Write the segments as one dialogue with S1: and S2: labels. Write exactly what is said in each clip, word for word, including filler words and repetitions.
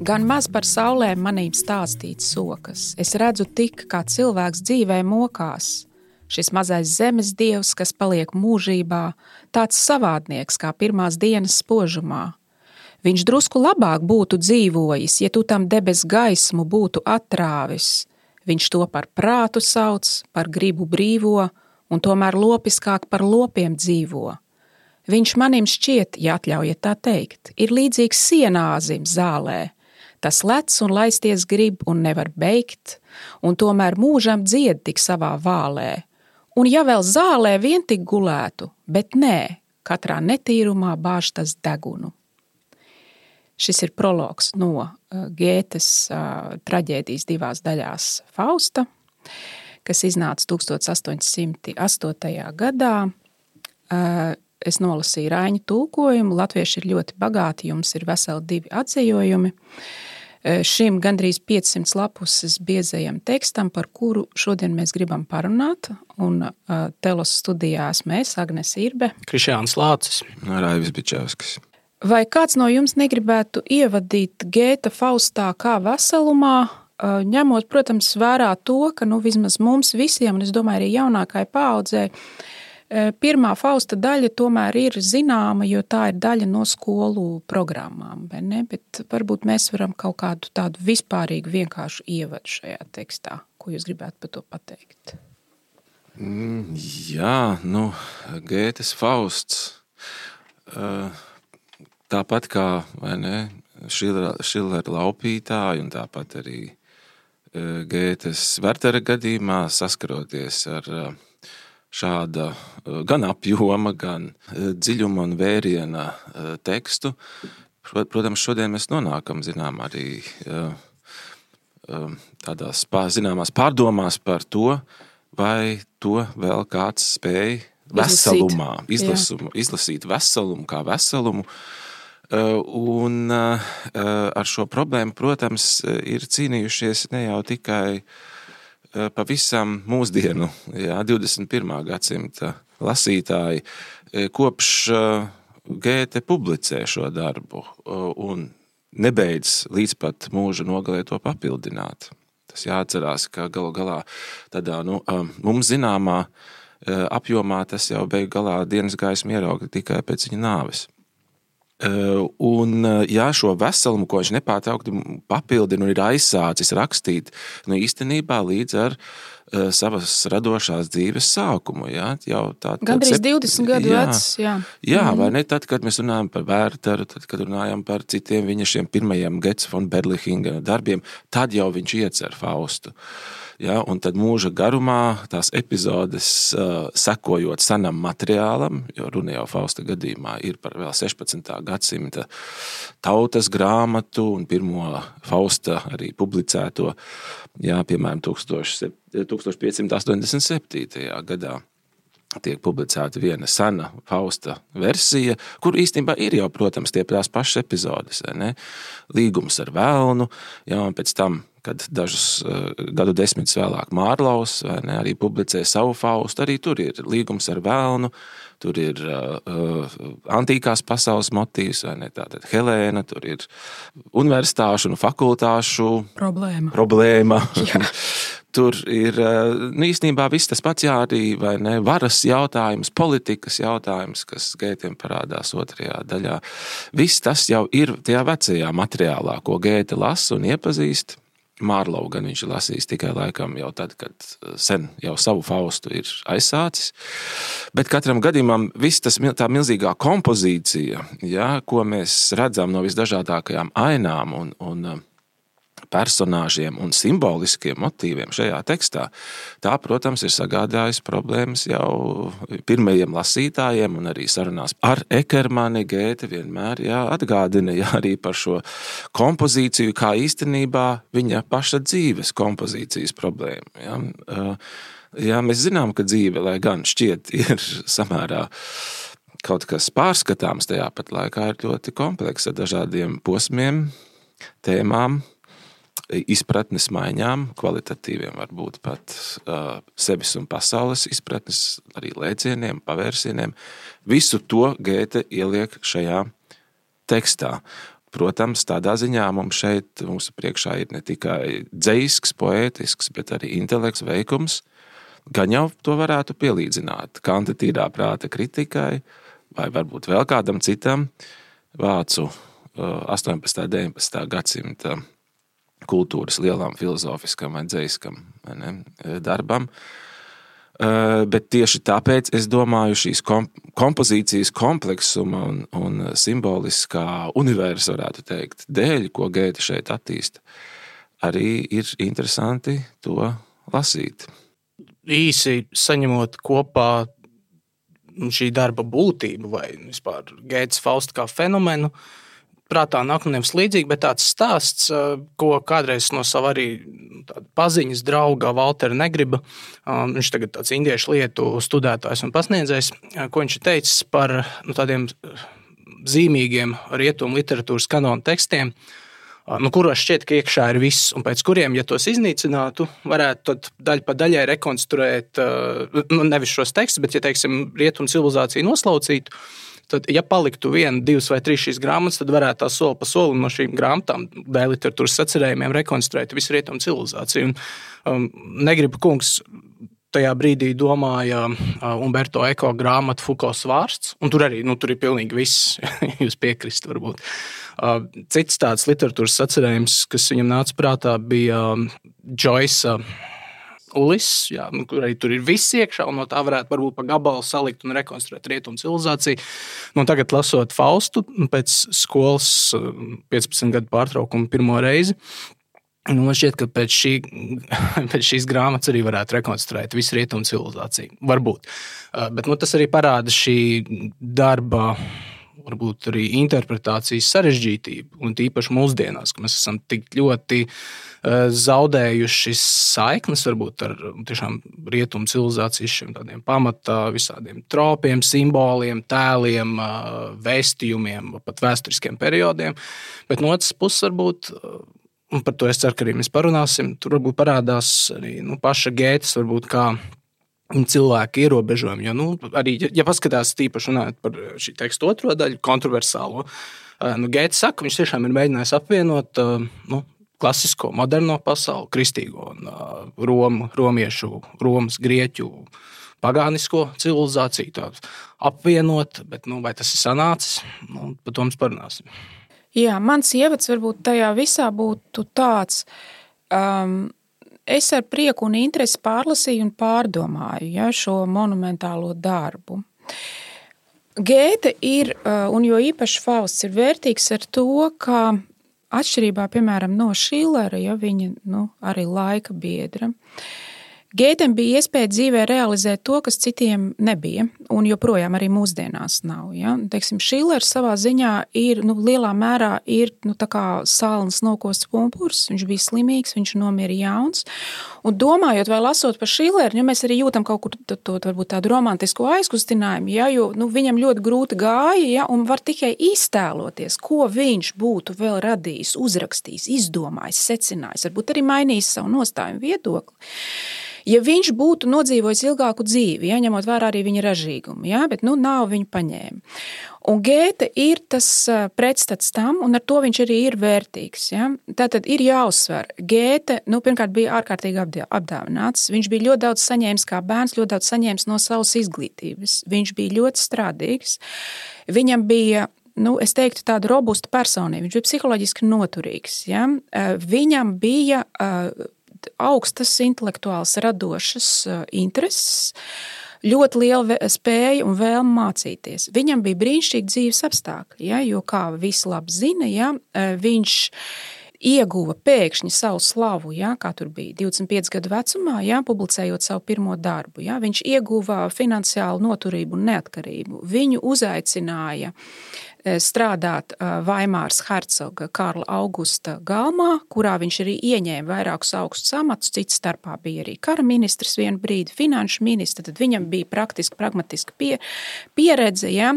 S1: Gan maz par saulēm manīm stāstīts sokas. Es redzu tik, kā cilvēks dzīvē mokās. Šis mazais zemes dievs, kas paliek mūžībā, tāds savādnieks kā pirmās dienas spožumā. Viņš drusku labāk būtu dzīvojis, ja tu tam debes gaismu būtu attrāvis. Viņš to par prātu sauc, par gribu brīvo, un tomēr lopiskāk par lopiem dzīvo. Viņš manim šķiet, ja atļaujiet tā teikt, ir līdzīgs sienāzim zālē. Tas lec un laisties grib un nevar beigt, un tomēr mūžam dzied tik savā vālē. Un ja vēl zālē vien tik gulētu, bet nē, katrā netīrumā bāž tas degunu. Šis ir prologs no uh, Gētes uh, traģēdijas divās daļās Fausta, kas iznāca tūkstoš astoņi simti astotajā gadā. Uh, es nolasīju Raiņa tulkojumu, latvieši ir ļoti bagāti, jums ir veseli divi atzējojumi. Šim gandrīz piecsimt lapuses biezajam tekstam, par kuru šodien mēs gribam parunāt, un uh, Telos studijās mēs, Agnes Irbe,
S2: Krišjāns Lācis,
S3: Raivis Bičevskis.
S1: Vai kāds no jums negribētu ievadīt Gēta Faustā kā veselumā, uh, ņemot, protams, vērā to, ka nu, vismaz mums visiem, un es domāju arī jaunākai paaudzei, pirmā Fausta daļa tomēr ir zināma, jo tā ir daļa no skolu programmām, vai ne? Bet varbūt mēs varam kaut kādu tādu vispārīgu vienkāršu ievadu šajā tekstā. Ko jūs gribētu par to pateikt?
S3: Mm, jā, nu, Gētes Fausts, tāpat kā, vai ne, Šillera laupītāji un tāpat arī Gētes Wertera gadījumā saskaroties ar šāda gan apjoma, gan dziļuma un vēriena tekstu. Protams, šodien mēs nonākam, zinām, arī tādās zināmās pārdomās par to, vai to vēl kāds spēj veselumā, izlasumu, izlasīt veselumu kā veselumu. Un ar šo problēmu, protams, ir cīnījušies ne jau tikai pavisam mūsdienu, jā, divdesmit pirmā gadsimta lasītāji, kopš Gēte publicē šo darbu un nebeidz līdz pat mūža nogalē to papildināt. Tas jāatcerās, ka galu galā tādā, nu, mums zināmā apjomā tas jau beigu galā dienas gaismu ierauga tikai pēc viņa nāves. Un, jā, šo veselumu, ko viņš nepārtraukti papildina un ir aizsācis rakstīt, nu, īstenībā līdz ar uh, savas radošās dzīves sākumu, jā, jau tā...
S1: Gandrīz sep... divdesmit gadu jā, vecs, jā.
S3: Jā, mm-hmm. Vai ne, tad, kad mēs runājam par Werteru, tad, kad runājam par citiem viņa šiem pirmajiem Getz von Berlichingen darbiem, tad jau viņš iecer Faustu. Ja, un tad mūža garumā tās epizodes uh, sekojot senam materiālam, jo runa jau Fausta gadījumā ir par vēl sešpadsmitā gadsimta tautas grāmatu un pirmo Fausta arī publicēto, jā, piemēram, tūkstoš piecsimt astoņdesmit septītajā gadā. Tiek publicēta viena sena Fausta versija, kur īstenībā ir jau, protams, tie tās pašas epizodes, ne? Līgums ar velnu, jā, un pēc tam, kad dažus uh, gadu desmitus vēlāk Mārlaus, vai ne, arī publicē savu Faustu, arī tur ir līgums ar velnu, tur ir uh, antīkās pasaules motīvs, vai ne, tātad Helēna, tur ir universitāšu un fakultāšu
S1: problēma.
S3: problēma. Tur ir, nu, īstenībā viss tas pats, jā, arī, vai ne, varas jautājums, politikas jautājums, kas Gētiem parādās otrajā daļā. Viss tas jau ir tajā vecajā materiālā, ko Gēte lasa un iepazīst. Mārlau gan viņš lasīs tikai laikam jau tad, kad sen jau savu Faustu ir aizsācis. Bet katram gadījumam viss tas, tā milzīgā kompozīcija, jā, ko mēs redzam no visdažādākajām ainām un, un personāžiem un simboliskiem motīviem šajā tekstā, tā, protams, ir sagādājusi problēmas jau pirmajiem lasītājiem un arī sarunās ar Ekermani. Gēte vienmēr jā, atgādina jā, arī par šo kompozīciju, kā īstenībā viņa paša dzīves kompozīcijas problēma. Jā. Jā, mēs zinām, ka dzīve, lai gan šķiet, ir samērā kaut kas pārskatāms, tajā pat laikā ir ļoti kompleksa ar dažādiem posmiem, tēmām, izpratnes maiņām, kvalitatīviem varbūt pat uh, sevis un pasaules izpratnes, arī lēcieniem, pavērsieniem. Visu to Gēte ieliek šajā tekstā. protams, tādā ziņā mums šeit, mūsu priekšā ir ne tikai dzejisks, poētisks, bet arī intelekts, veikums. Gan jau to varētu pielīdzināt Kanta tīrā prāta kritikai vai varbūt vēl kādam citam vācu astoņpadsmitā, deviņpadsmitā gadsimta kultūras lielam filozofiskam vai dzejiskam vai ne, darbam. Bet tieši tāpēc es domāju šīs kompozīcijas kompleksuma un, un simboliskā universa, varētu teikt, dēļ, ko Gēte šeit attīsta, arī ir interesanti to lasīt.
S2: Īsi saņemot kopā šī darba būtību vai vispār Gētes Faustu kā fenomenu, prātā nāk man nevis līdzīgi, bet tāds stāsts, ko kādreiz no sava arī paziņas drauga Valtera Negriba, viņš tagad tāds indiešu lietu studētājs un pasniedzējs, ko viņš ir teicis par nu, tādiem zīmīgiem rietumu literatūras kanonu tekstiem, nu, kuros šķiet, ka iekšā ir viss, un pēc kuriem, ja tos iznīcinātu, varētu tad daļa pa daļai rekonstruēt, nu, nevis šos tekstus, bet, ja teiksim, rietumu civilizāciju noslaucītu, tad, ja paliktu viena, divas vai trīs šīs grāmatas, tad varētu tā soli pa solim no šīm grāmatām, dēļ literatūras sacerējumiem, rekonstruēt visu rietumu civilizāciju. Un, um, Negriba kungs tajā brīdī domāja uh, Umberto Eco grāmatu Foucaults vārsts, un tur arī, nu, tur ir pilnīgi viss, jūs piekrist varbūt. Uh, cits tāds literatūras sacerējums, kas viņam nāca prātā, bija um, Joyce Ulis, jā, nu, kur arī tur ir viss iekšā, un no tā varētu varbūt pa gabalu salikt un rekonstruēt rietumu civilizāciju. Nu, tagad lasot Faustu pēc skolas piecpadsmit gadu pārtraukuma pirmo reizi, nu, man šķiet, ka pēc, šī, pēc šīs grāmatas arī varētu rekonstruēt visu rietumu civilizāciju. Varbūt. Bet nu, tas arī parāda šī darba, varbūt arī interpretācijas sarežģītību, un tīpaši mūsdienās, ka mēs esam tik ļoti uh, zaudējuši saiknes varbūt ar tiešām rietumu civilizācijas šiem tādiem pamatā visādiem tropiem, simboliem, tēliem, uh, vēstījumiem, pat vēsturiskiem periodiem, bet no otras puses varbūt, uh, un par to es ceru, ka arī mēs parunāsim, tur varbūt parādās arī nu, paša Gētes varbūt kā cilvēku ierobežojumi, jo, nu, arī, ja, ja paskatās tīpaši runājot par šī teksta otro daļu, kontroversālo, nu, Gētes saka, viņš tiešām ir mēģinājis apvienot, nu, klasisko, moderno pasauli, kristīgo un Romu, romiešu, Romas, Grieķu, pagānisko civilizāciju, tādu apvienot, bet, nu, vai tas ir sanācis, nu, par to mēs parunāsim.
S1: Jā, mans ievads varbūt tajā visā būtu tāds, um, es ar prieku un interesi pārlasīju un pārdomāju ja, šo monumentālo darbu. Gēte ir, un jo īpaši Fausts ir vērtīgs ar to, ka atšķirībā, piemēram, no Šillera, ja viņa nu, arī laika biedra, Gētem bija iespēja dzīvē realizēt to, kas citiem nebija, un joprojām arī mūsdienās nav. Ja? Teiksim, Šillers savā ziņā ir, nu, lielā mērā ir nu, tā kā salnas nokosts pumpurs, viņš bija slimīgs, viņš nomira jauns, un domājot vai lasot par Šilleru, ja mēs arī jūtam kaut kur to, to varbūt tādu romantisko aizkustinājumu, ja, jo nu, viņam ļoti grūti gāja, ja, un var tikai iztēloties, ko viņš būtu vēl radījis, uzrakstījis, izdomājis, secinājis, varbūt arī mainījis savu nostājumu viedokli. Ja viņš būtu nodzīvojis ilgāku dzīvi, ja, ņemot vērā arī viņa ražīgumu, ja, bet nu, nav viņu paņēma. Un Gēte ir tas pretstats tam, un ar to viņš arī ir vērtīgs. Ja. Tātad ir jāuzsver. Gēte, nu, pirmkārt, bija ārkārtīgi apdāvināts. Viņš bija ļoti daudz saņēmis kā bērns, ļoti daudz saņēmis no savas izglītības. Viņš bija ļoti strādīgs. Viņam bija, nu, es teiktu, tāda robusta personība. Viņš bija psiholoģiski noturīgs. Ja. Viņam bija augstas intelektuāls radošas intereses, ļoti liela spēja un vēlme mācīties. Viņam bija brīnišķīgi dzīves apstākļi, ja, jo, kā visi labi zina, ja, viņš ieguva pēkšņi savu slavu, ja, kā tur bija divdesmit pieci gadu vecumā, ja, publicējot savu pirmo darbu. Ja, viņš ieguva finansiālu noturību un neatkarību. Viņu uzaicināja strādāt Vaimāras hercoga Karla Augusta galmā, kurā viņš arī ieņēma vairākus augstus amatus, cits starpā bija arī kara ministrs vienu brīdi, finanšu ministrs, tad viņam bija praktiski, pragmatiski pie, pieredze. Ja.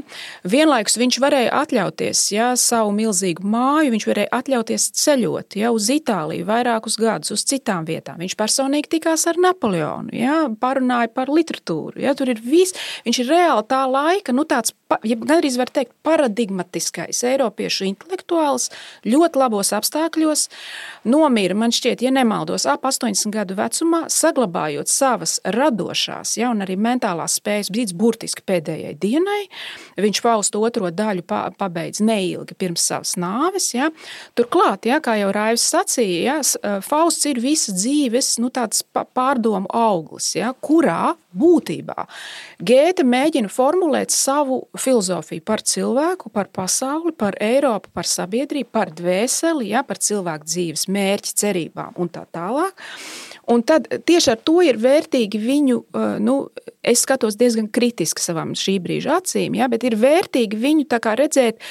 S1: Vienlaikus viņš varēja atļauties ja, savu milzīgu māju, viņš varēja atļauties ceļot ja, uz Itāliju vairākus gadus, uz citām vietām. Viņš personīgi tikās ar Napoleonu, ja, parunāja par literatūru. Ja, tur ir viss, viņš ir reāli tā laika, nu tāds ja gandrīz var teikt, paradigmatiskais eiropiešu intelektuāls, ļoti labos apstākļos, nomira, man šķiet, ja nemaldos, ap astoņdesmit gadu vecumā, saglabājot savas radošās, ja, un arī mentālās spējas, līdz burtiski pēdējai dienai. Viņš Faustu otro daļu pabeidz neilgi pirms savas nāves. Ja. Turklāt, ja, kā jau Raivs sacīja, ja, Fausts ir visa dzīves, nu, tāds pārdomu auglis, ja, kurā būtībā Gēte mēģina formulēt savu filozofiju par cilvēku, par pasauli, par Eiropu, par sabiedrību, par dvēseli, ja, par cilvēku dzīves mērķi, cerībām un tā tālāk. Un tad tieši ar to ir vērtīgi viņu, nu, es skatos diezgan kritiski savām šī brīža acīm, ja, bet ir vērtīgi viņu tā kā redzēt,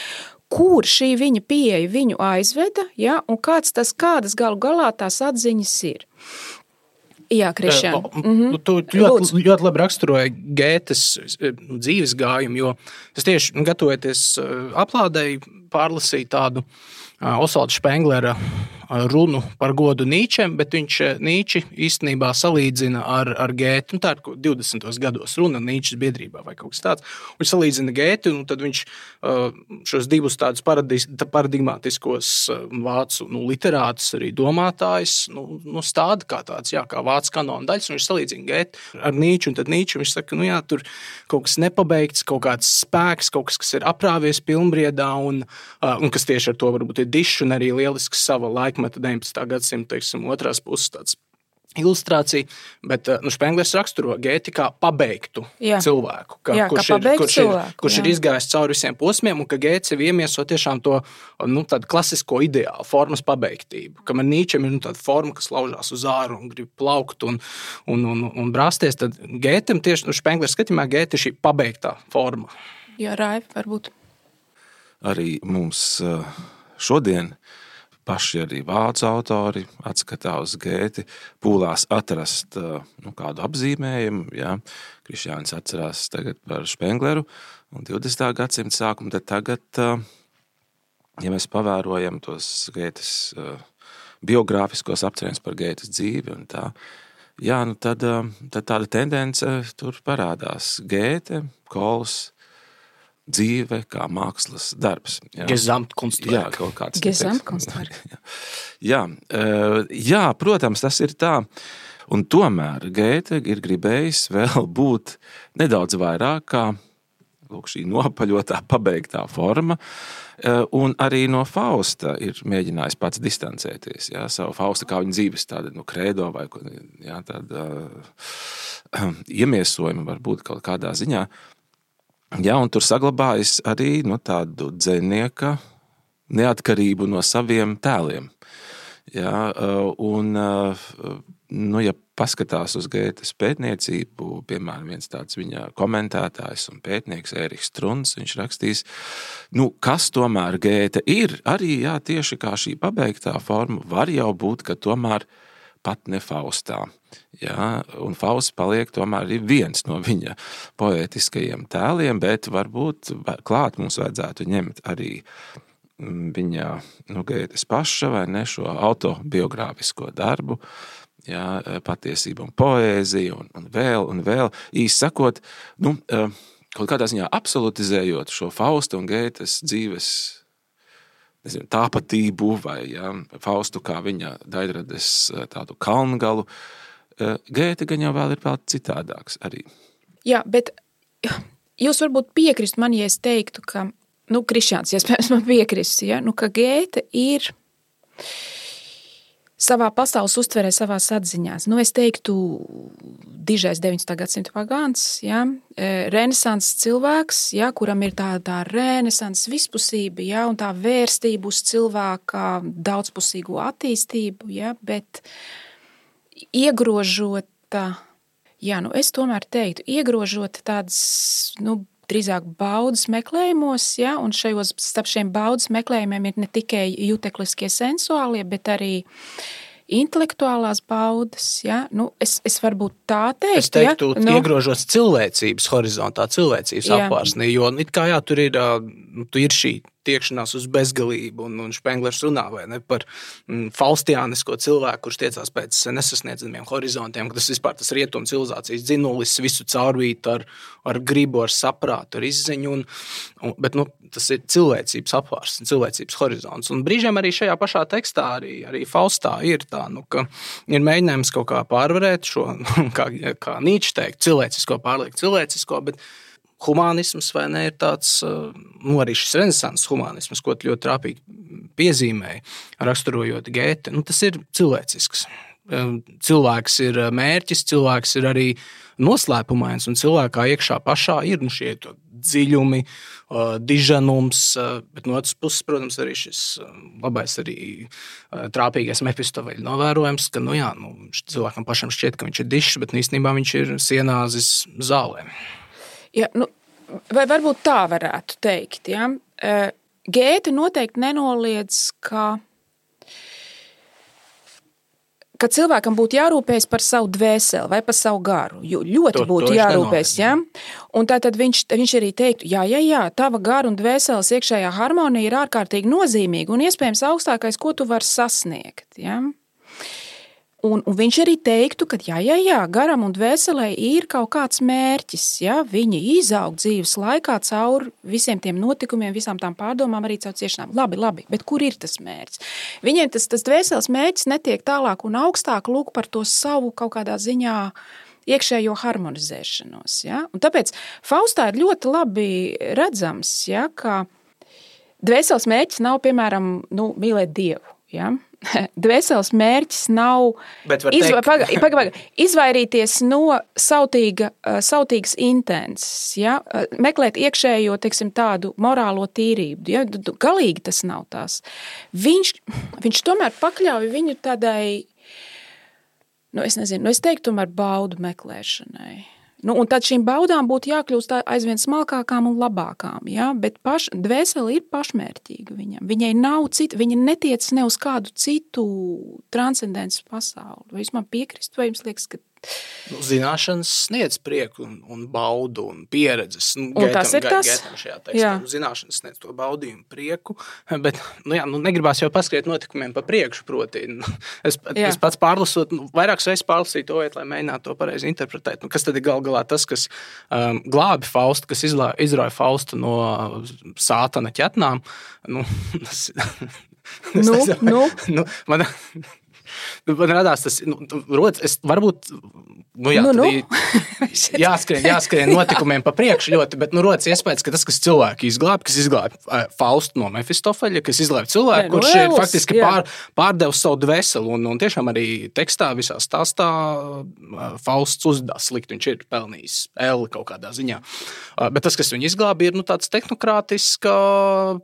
S1: kur šī viņa pieeja viņu aizveda, ja, un kāds tas, kādas galu galā tās atziņas ir. Jā, Krišjān.
S2: Mm-hmm. Tu ļoti, ļoti labi raksturoji Gētes dzīves gājumu, jo es tieši gatavojoties aplādei pārlasīju tādu Osvalda Špenglera runu par godu Nīčem, bet viņš Nīči īstenībā salīdzina ar, ar Gēti. Nu, tā ir divdesmitos gados runa Nīčes biedrībā vai kaut kas tāds. Viņš salīdzina Gēti, un tad viņš šos divus tādus paradigmatiskos vācu nu, literātus, arī domātājus, nu, nu stāda kā tāds, jā, kā vācu kanona daļas, un viņš salīdzina Gēti ar Nīču, un tad Nīču viņš saka, nu jā, tur kaut kas nepabeigts, kaut kāds spēks, kaut kas, kas ir aprāvies pilnbriedā, un, un kas tieši ar to varbūt ir dišs, un arī lielisks sava laikmeta deviņpadsmitā gadsimta, teiksim, otrās puses tāds ilustrācija, bet nu, Špenglers raksturo Gēti kā pabeigtu jā. cilvēku, ka,
S1: jā,
S2: kurš,
S1: kā
S2: ir, kurš,
S1: cilvēku,
S2: ir, kurš ir izgājis cauri visiem posmiem, un ka Gēts ir iemieso tiešām to nu, tādu klasisko ideālu, formas pabeigtību. Kamēr Nīčem ir nu, tāda forma, kas laužās uz āru un grib plaukt un, un, un, un brāsties, tad Gētem tieši nu, Špenglers skatījumā Gēti ir šī pabeigtā forma.
S1: Jā, Raivi, varbūt.
S3: Arī mums šodien paši arī vācu autori atskatā uz Gēti, pūlās atrast nu, kādu apzīmējumu. Ja? Krišjānis atcerās tagad par Špengleru un divdesmitā gadsimta sākumu, tad tagad, ja mēs pavērojam tos Gētes biogrāfiskos apcerējumus par Gētes dzīvi un tā, jā, nu tad, tad tāda tendence tur parādās. Gēte, Kols, dzīve kā mākslas darbs. Jā,
S2: Gesamtkunstwerk.
S3: Jā, kaut kāds.
S1: Gesamtkunstwerk.
S3: Jā, jā, protams, tas ir tā. Un tomēr Gēte ir gribējis vēl būt nedaudz vairāk kā lūk, šī nopaļotā, pabeigtā forma. Un arī no Fausta ir mēģinājis pats distancēties. Jā, savu Fausta kā viņa dzīves tāda nu, kredo vai jā, tāda uh, iemiesojuma varbūt kaut kādā ziņā. Jā, un tur saglabājas arī nu, tādu dzejnieka neatkarību no saviem tēliem. Jā, un, nu, ja paskatās uz Gētes pētniecību, piemēram, viens tāds viņa komentētājs un pētnieks Ēriks Struns, viņš rakstīs, nu, kas tomēr Gēte ir, arī jā, tieši kā šī pabeigtā forma, var jau būt, ka tomēr pat ne Faustā. Jā, un Fausts paliek tomēr arī viens no viņa poētiskajiem tēliem, bet varbūt klāt mums vajadzētu ņemt arī viņa nu, Gētes paša vai ne šo autobiogrāfisko darbu, jā, patiesība un poēzija un, un vēl un vēl. Īsi sakot, nu, kaut kādā ziņā absolutizējot šo Fausta un Gētes dzīves nezinu, tāpatību vai jā, Faustu kā viņa Daļrades tādu kalngalu, Gēte gan jau vēl ir vēl citādāks arī.
S1: Jā, bet jūs varbūt piekrist man, ja es teiktu, ka, nu, Krišjāns, ja es man piekrist, ja, nu, ka Gēte ir savā pasaules uztverē, savās atziņās. Nu, es teiktu, dižais deviņpadsmitā gadsimta pagāns, ja, renesanses cilvēks, ja, kuram ir tā, tā renesanses vispusība, ja, un tā vērstība uz cilvēka daudzpusīgo attīstību, ja, bet iegrožota, jā, nu, es tomēr teiktu, iegrožota tādas, nu, drīzāk baudas meklējumos, ja, un šajos starp šiem baudas meklējumiem ir ne tikai jutekliskie sensuālie, bet arī intelektuālās baudas, ja, nu, es, es varbūt tā teiktu,
S2: es teiktu,
S1: ja, nu,
S2: iegrožos cilvēcības horizontā, cilvēcības apvārsnī, jo it kā jā, tur ir, tu ir šī tiekšanās uz bezgalību, un, un Špenglers runā vai ne, par mm, faustiānisko cilvēku, kurš tiecās pēc nesasniedzamiem horizontiem, ka tas vispār tas rietumu civilizācijas dzinulis visu caurvīt ar, ar gribu, ar saprātu, ar izziņu, un, un, bet nu, tas ir cilvēcības apvārs, cilvēcības horizonts. Un brīžiem arī šajā pašā tekstā, arī, arī Faustā ir tā, nu, ka ir mēģinājums kaut kā pārvarēt šo, kā, kā Nīčs teikt, cilvēcisko pārliekt cilvēcisko, bet humānisms vai ne ir tāds, nu arī šis renesanses humānisms, ko ļoti trāpīgi piezīmēja, raksturojot Gēti, nu tas ir cilvēcisks. Cilvēks ir mērķis, cilvēks ir arī noslēpumains, un cilvēkā iekšā pašā ir nu, šie dziļumi, diženums, bet no otras puses, protams, arī šis labais arī trāpīgais Mefistoveļa novērojums, ka nu jā, nu, cilvēkam pašam šķiet, ka viņš ir dišs, bet īstenībā viņš ir sienāzis zālē.
S1: Ja, nu, vai varbūt tā varētu teikt, ja? Gēte noteikti nenoliedz, ka, ka cilvēkam būtu jārūpējas par savu dvēseli vai par savu garu, jo ļoti to, būtu to jārūpējas, ja? Un tātad viņš, viņš arī teiktu, jā, jā, jā, tava gara un dvēseles iekšējā harmonija ir ārkārtīgi nozīmīga un iespējams augstākais, ko tu vari sasniegt, ja? Un, un viņš arī teiktu, ka jā, jā, jā, garam un dvēselē ir kaut kāds mērķis, ja, viņi izaug dzīves laikā caur visiem tiem notikumiem, visām tām pārdomām, arī caur ciešanām. Labi, labi, bet kur ir tas mērķis? Viņiem tas, tas dvēseles mērķis netiek tālāk un augstāk lūk par to savu kaut kādā ziņā iekšējo harmonizēšanos, ja. Un tāpēc Faustā ir ļoti labi redzams, ja, ka dvēseles mērķis nav, piemēram, nu, mīlēt Dievu, ja. Dvēseles mērķis nav izva, paga, paga, paga, izvairīties no sautīga, sautīgas intences, ja? Meklēt iekšējo, teiksim, tādu morālo tīrību. Ja? Galīgi tas nav tās. Viņš, viņš tomēr pakļauj viņu tādai, nu es nezinu, nu es teiktu tomēr baudu meklēšanai. Nu, un tad šīm baudām būtu jākļūst aizvien smalkākām un labākām, ja? Bet paš, dvēseli ir pašmērķīga viņam. Viņai nav cita, viņa netiec ne uz kādu citu transcendences pasauli. Vai jūs man piekrist, vai jums liekas, ka
S2: nu, zināšanas sniedz prieku un, un baudu un pieredzes. Nu,
S1: un tas ir tas?
S2: Gaitam šajā tekstā. Zināšanas sniedz to baudījumu prieku, bet nu, jā, nu, negribās jau paskriet notikumiem pa priekšu, proti. Nu, es, es pats pārlasot, nu, vairākas reizes pārlasīju to viet, lai mēģinātu to pareizi interpretēt. Nu, kas tad ir gal galā tas, kas um, glābi Faustu, kas izlā, izrauja Faustu no sātana ķetnām? Nu, tas,
S1: nu, nu.
S2: nu, man, Man radās tas, nu, rodas, es varbūt, nu jā,
S1: nu, nu.
S2: jāskrien, jāskrien notikumiem pa priekšu ļoti, bet, nu, rodas iespējas, ka tas, kas cilvēku izglābi, kas izglābi Faustu no Mefistofeļa, kas izglābi cilvēku, ne, kurš ir faktiski pār, pārdevis savu dvēseli, un, un tiešām arī tekstā visā stāstā Fausts uzdās slikt, viņš ir pelnījis L kaut kādā ziņā. Bet tas, kas viņu izglābi, ir, nu, tāds tehnokrātiska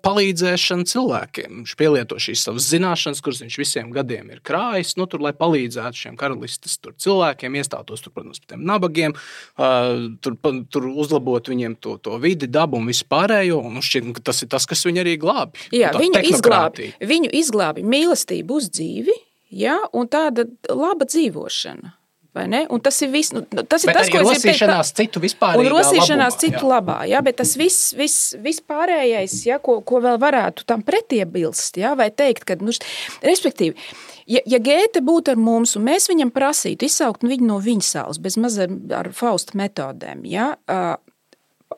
S2: palīdzēšana cilvēkiem. Viņš pielieto šīs savas zināšanas, kuras viņš visiem gadiem ir krājis, nu, tur, lai palīdzētu šiem karalistes tur cilvēkiem, iestātos tur, protams, par tiem nabagiem, uh, tur, tur uzlabot viņiem to, to vidi, dabu un visu pārējo, un šķiet, ka tas ir tas, kas viņu arī glābi.
S1: Jā, viņu izglābi, viņu izglābi mīlestību uz dzīvi, jā, un tāda laba dzīvošana. Vai ne? Un tas ir viss, nu, tas ir
S2: bet
S1: tas, ko es
S2: rosīšanās teikt, citu vispārīgā
S1: labumā. Un rosīšanās
S2: labumā,
S1: citu
S2: jā.
S1: labā, jā, bet tas viss, viss, viss pārējais, jā, ko, ko vēl varētu tam pretiebilst, jā, vai teikt, ka, nu, respektīvi, ja, ja Gēte būtu ar mums, un mēs viņam prasītu izsaukt viņu no viņa salas, bez mazam ar Fausta metodēm, jā,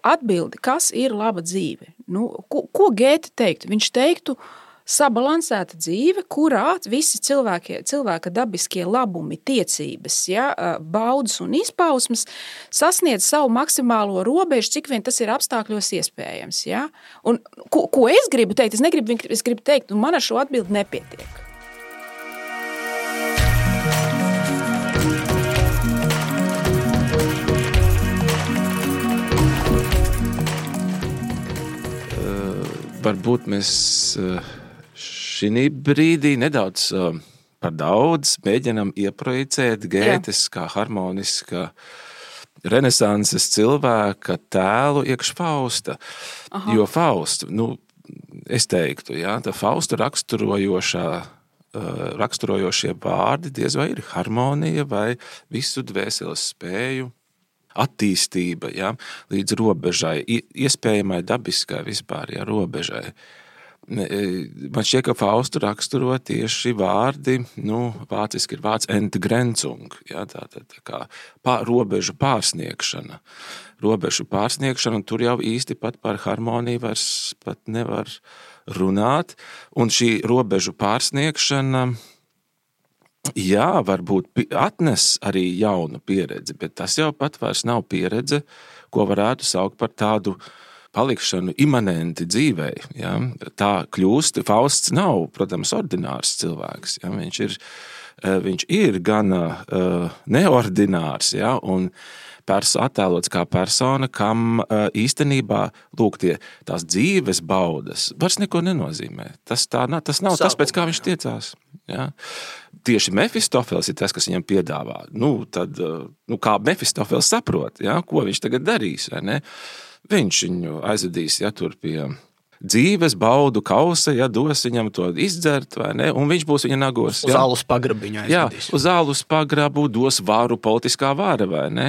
S1: atbildi, kas ir laba dzīve? Nu, ko, ko Gēte teiktu? Viņš teiktu, sabalansēta dzīve, kurā visi cilvēki, cilvēka dabiskie labumi, tiecības, ja, baudas un izpausmes sasniedz savu maksimālo robežu, cik vien tas ir apstākļos iespējams. Ja. Un, ko, ko es gribu teikt? Es, negribu, es gribu teikt, un man ar šo atbildi nepietiek.
S3: Uh, varbūt mēs... Uh... Šī brīdī nedaudz uh, par daudz mēģinam ieprojicēt Gētes kā harmoniska renesanses cilvēka tēlu iekš Fausta. Aha. Jo Fausta, nu, es teiktu, jā, tā Fausta raksturojošā, uh, raksturojošie vārdi diez vai ir harmonija vai visu dvēseles spēju attīstība, jā, līdz robežai, iespējamai dabiskai vispār, jā, robežai. man šķiet, ka Faustu raksturo tieši vārdi, nu, vāciski ir vārds Entgrenzung, ja, tā, tā, tā kā pār, robežu pārsniegšana. Robežu pārsniegšana, un tur jau īsti pat par harmoniju vairs pat nevar runāt, un šī robežu pārsniegšana, jā, varbūt atnes arī jaunu pieredzi, bet tas jau pat vairs nav pieredze, ko varētu saukt par tādu palikšanu imanenti dzīvei. Ja? Tā kļūst, Fausts nav, protams, ordinārs cilvēks. Ja? Viņš ir, viņš ir gan uh, neordinārs, ja? Un perso, attēlots kā persona, kam uh, īstenībā lūk, tie, tās dzīves baudas vairs neko nenozīmē. Tas, tā, tas nav tas, pēc kā viņš tiecās. Ja? Tieši Mefistofels ir tas, kas viņam piedāvā. Nu, tad, uh, nu, kā Mefistofels saprot, ja? Ko viņš tagad darīs, vai ne? Viņš viņu aizvedīs, ja, tur pie dzīves baudu kausa, ja, dos viņam to izdzert, vai ne, un viņš būs viņa nagos.
S2: Uz alus pagrabiņu aizvedīs.
S3: Jā, uz alus pagrabu dos varu, politiskā vara, vai ne,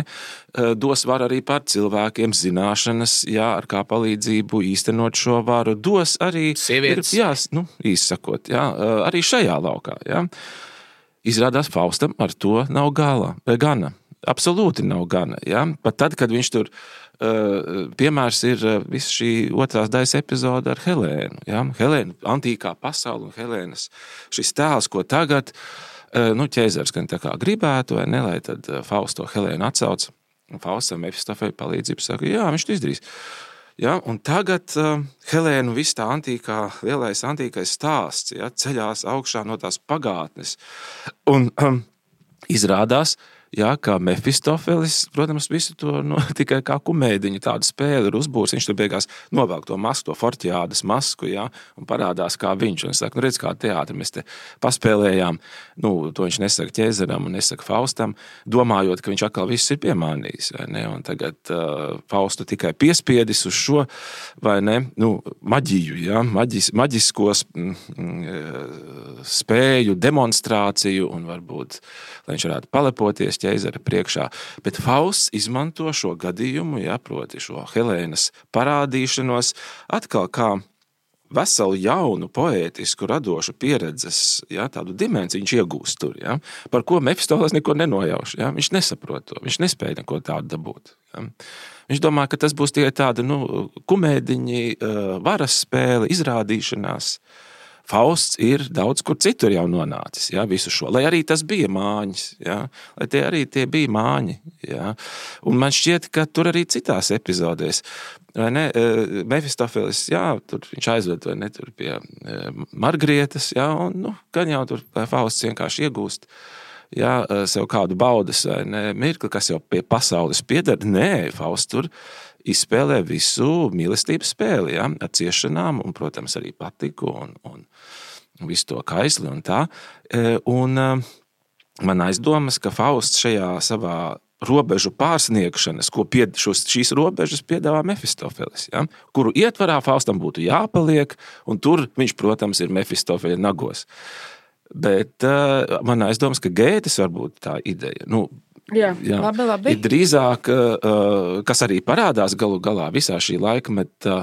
S3: dos varu arī par cilvēkiem zināšanas, jā, ar kā palīdzību īstenot šo varu, dos arī
S2: sievietes.
S3: Jā, nu, īsakot, jā, arī šajā laukā, jā. Izrādās Faustam ar to nav gala, gana. Absolūti nav gana, jā. Pat tad, kad viņš tur piemērs ir viss šī otrās daļas epizode ar Helēnu. Ja? Helēna, antīkā pasaule un Helēnas šis tēls, ko tagad nu, ķēzars gan tā kā gribētu, vai ne, lai tad Fausto Helēnu atsauc. Un Faustam Mefistofei palīdzību saka, jā, viņš to izdarīs. Ja? Un tagad uh, Helēnu viss tā antīkā, lielais antīkais stāsts, ja? Ceļās augšā no tās pagātnes. Un um, izrādās, jā, kā Mefistofelis, protams, visu to no, tikai kā kumēdiņu tādu spēli ir uzbūrs. Viņš tur beigās novelk to masku, to Fortiādas masku, jā, un parādās kā viņš. Un saka, nu redz, kā teātri mēs te paspēlējām. Nu, to viņš nesaka ķēzaram un nesaka Faustam, domājot, ka viņš atkal viss ir piemānījis, vai ne? Un tagad uh, Faustu tikai piespiedis uz šo, vai ne, nu, maģiju, jā, maģis, maģiskos mm, spēju, demonstrāciju un varbūt, lai viņš varētu palepoties ķēzara priekšā, bet Fausts izmanto šo gadījumu, jā, proti šo Helēnas parādīšanos, atkal kā veselu jaunu, poētisku, radošu pieredzes, jā, tādu dimensiju viņš iegūst tur, jā, par ko Mefistofels neko nenojauš, jā, viņš nesaprot to, viņš nespēja neko tādu dabūt, jā. Viņš domā, ka tas būs tikai tāda, nu, kumēdiņi, varas spēle, izrādīšanās. Fausts ir daudz kur citur jau nonācis, ja, visu šo, lai arī tas bija māņas, ja, lai tie arī tie bija māņi, ja, un man šķiet, ka tur arī citās epizodēs, vai ne, Mefistofelis, jā, tur viņš aizved, vai ne, tur pie Margrietas, ja, un, nu, gan jau tur Fausts vienkārši iegūst, ja, sev kādu baudas, vai ne, mirkli, kas jau pie pasaules pieder, nē, Fausts tur izspēlē visu mīlestības spēli, ja, ar ciešanām un, protams, arī patiku un, un visu to kaisli un tā. Un man aizdomas, ka Fausts šajā savā robežu pārsniegšanas, ko pied, šos, šīs robežas piedāvā Mefistofelis, ja, kuru ietvarā Faustam būtu jāpaliek, un tur viņš, protams, ir Mefistofeļa nagos. Bet uh, man aizdomas, ka Gētes varbūt tā ideja, nu,
S1: Jā, jā, labi, labi.
S3: Ir drīzāk, kas arī parādās galu galā visā šī laikmeta,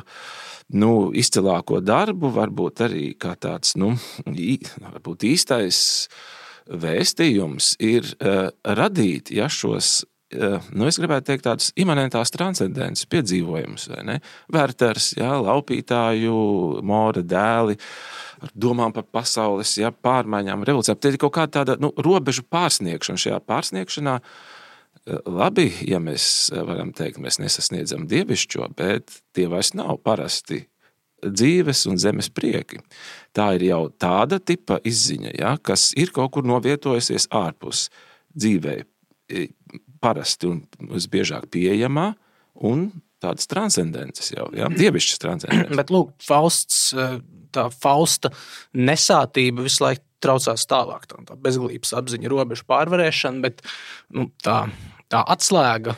S3: nu, izcilāko darbu, varbūt arī kā tāds, nu, varbūt īstais vēstījums ir radīt, ja šos, nu, es gribētu teikt tādus imanentās transcendences piedzīvojumus, vai ne? Werters, jā, laupītāju, Mora dēli, ar domām par pasaules, ja, pārmaiņām, revolūcijām. Tie ir kaut kāda tāda, nu, robežu pārsniegšana. Šajā pārsniegšanā, labi, ja mēs varam teikt, mēs nesasniedzam dievišķo, bet tie vairs nav parasti dzīves un zemes prieki. Tā ir jau tāda tipa izziņa, ja, kas ir kaut kur novietojusies ārpus dzīvē, parasti un visbiežāk pieejamā un tādas transcendences jau, ja, dievišķas transcendences.
S2: Bet, lūk, Fausts, tā Fausta nesātība visu laiku traucās tālāk, tā, tā bezglības apziņa, robežu pārvarēšana, bet nu, tā, tā atslēga,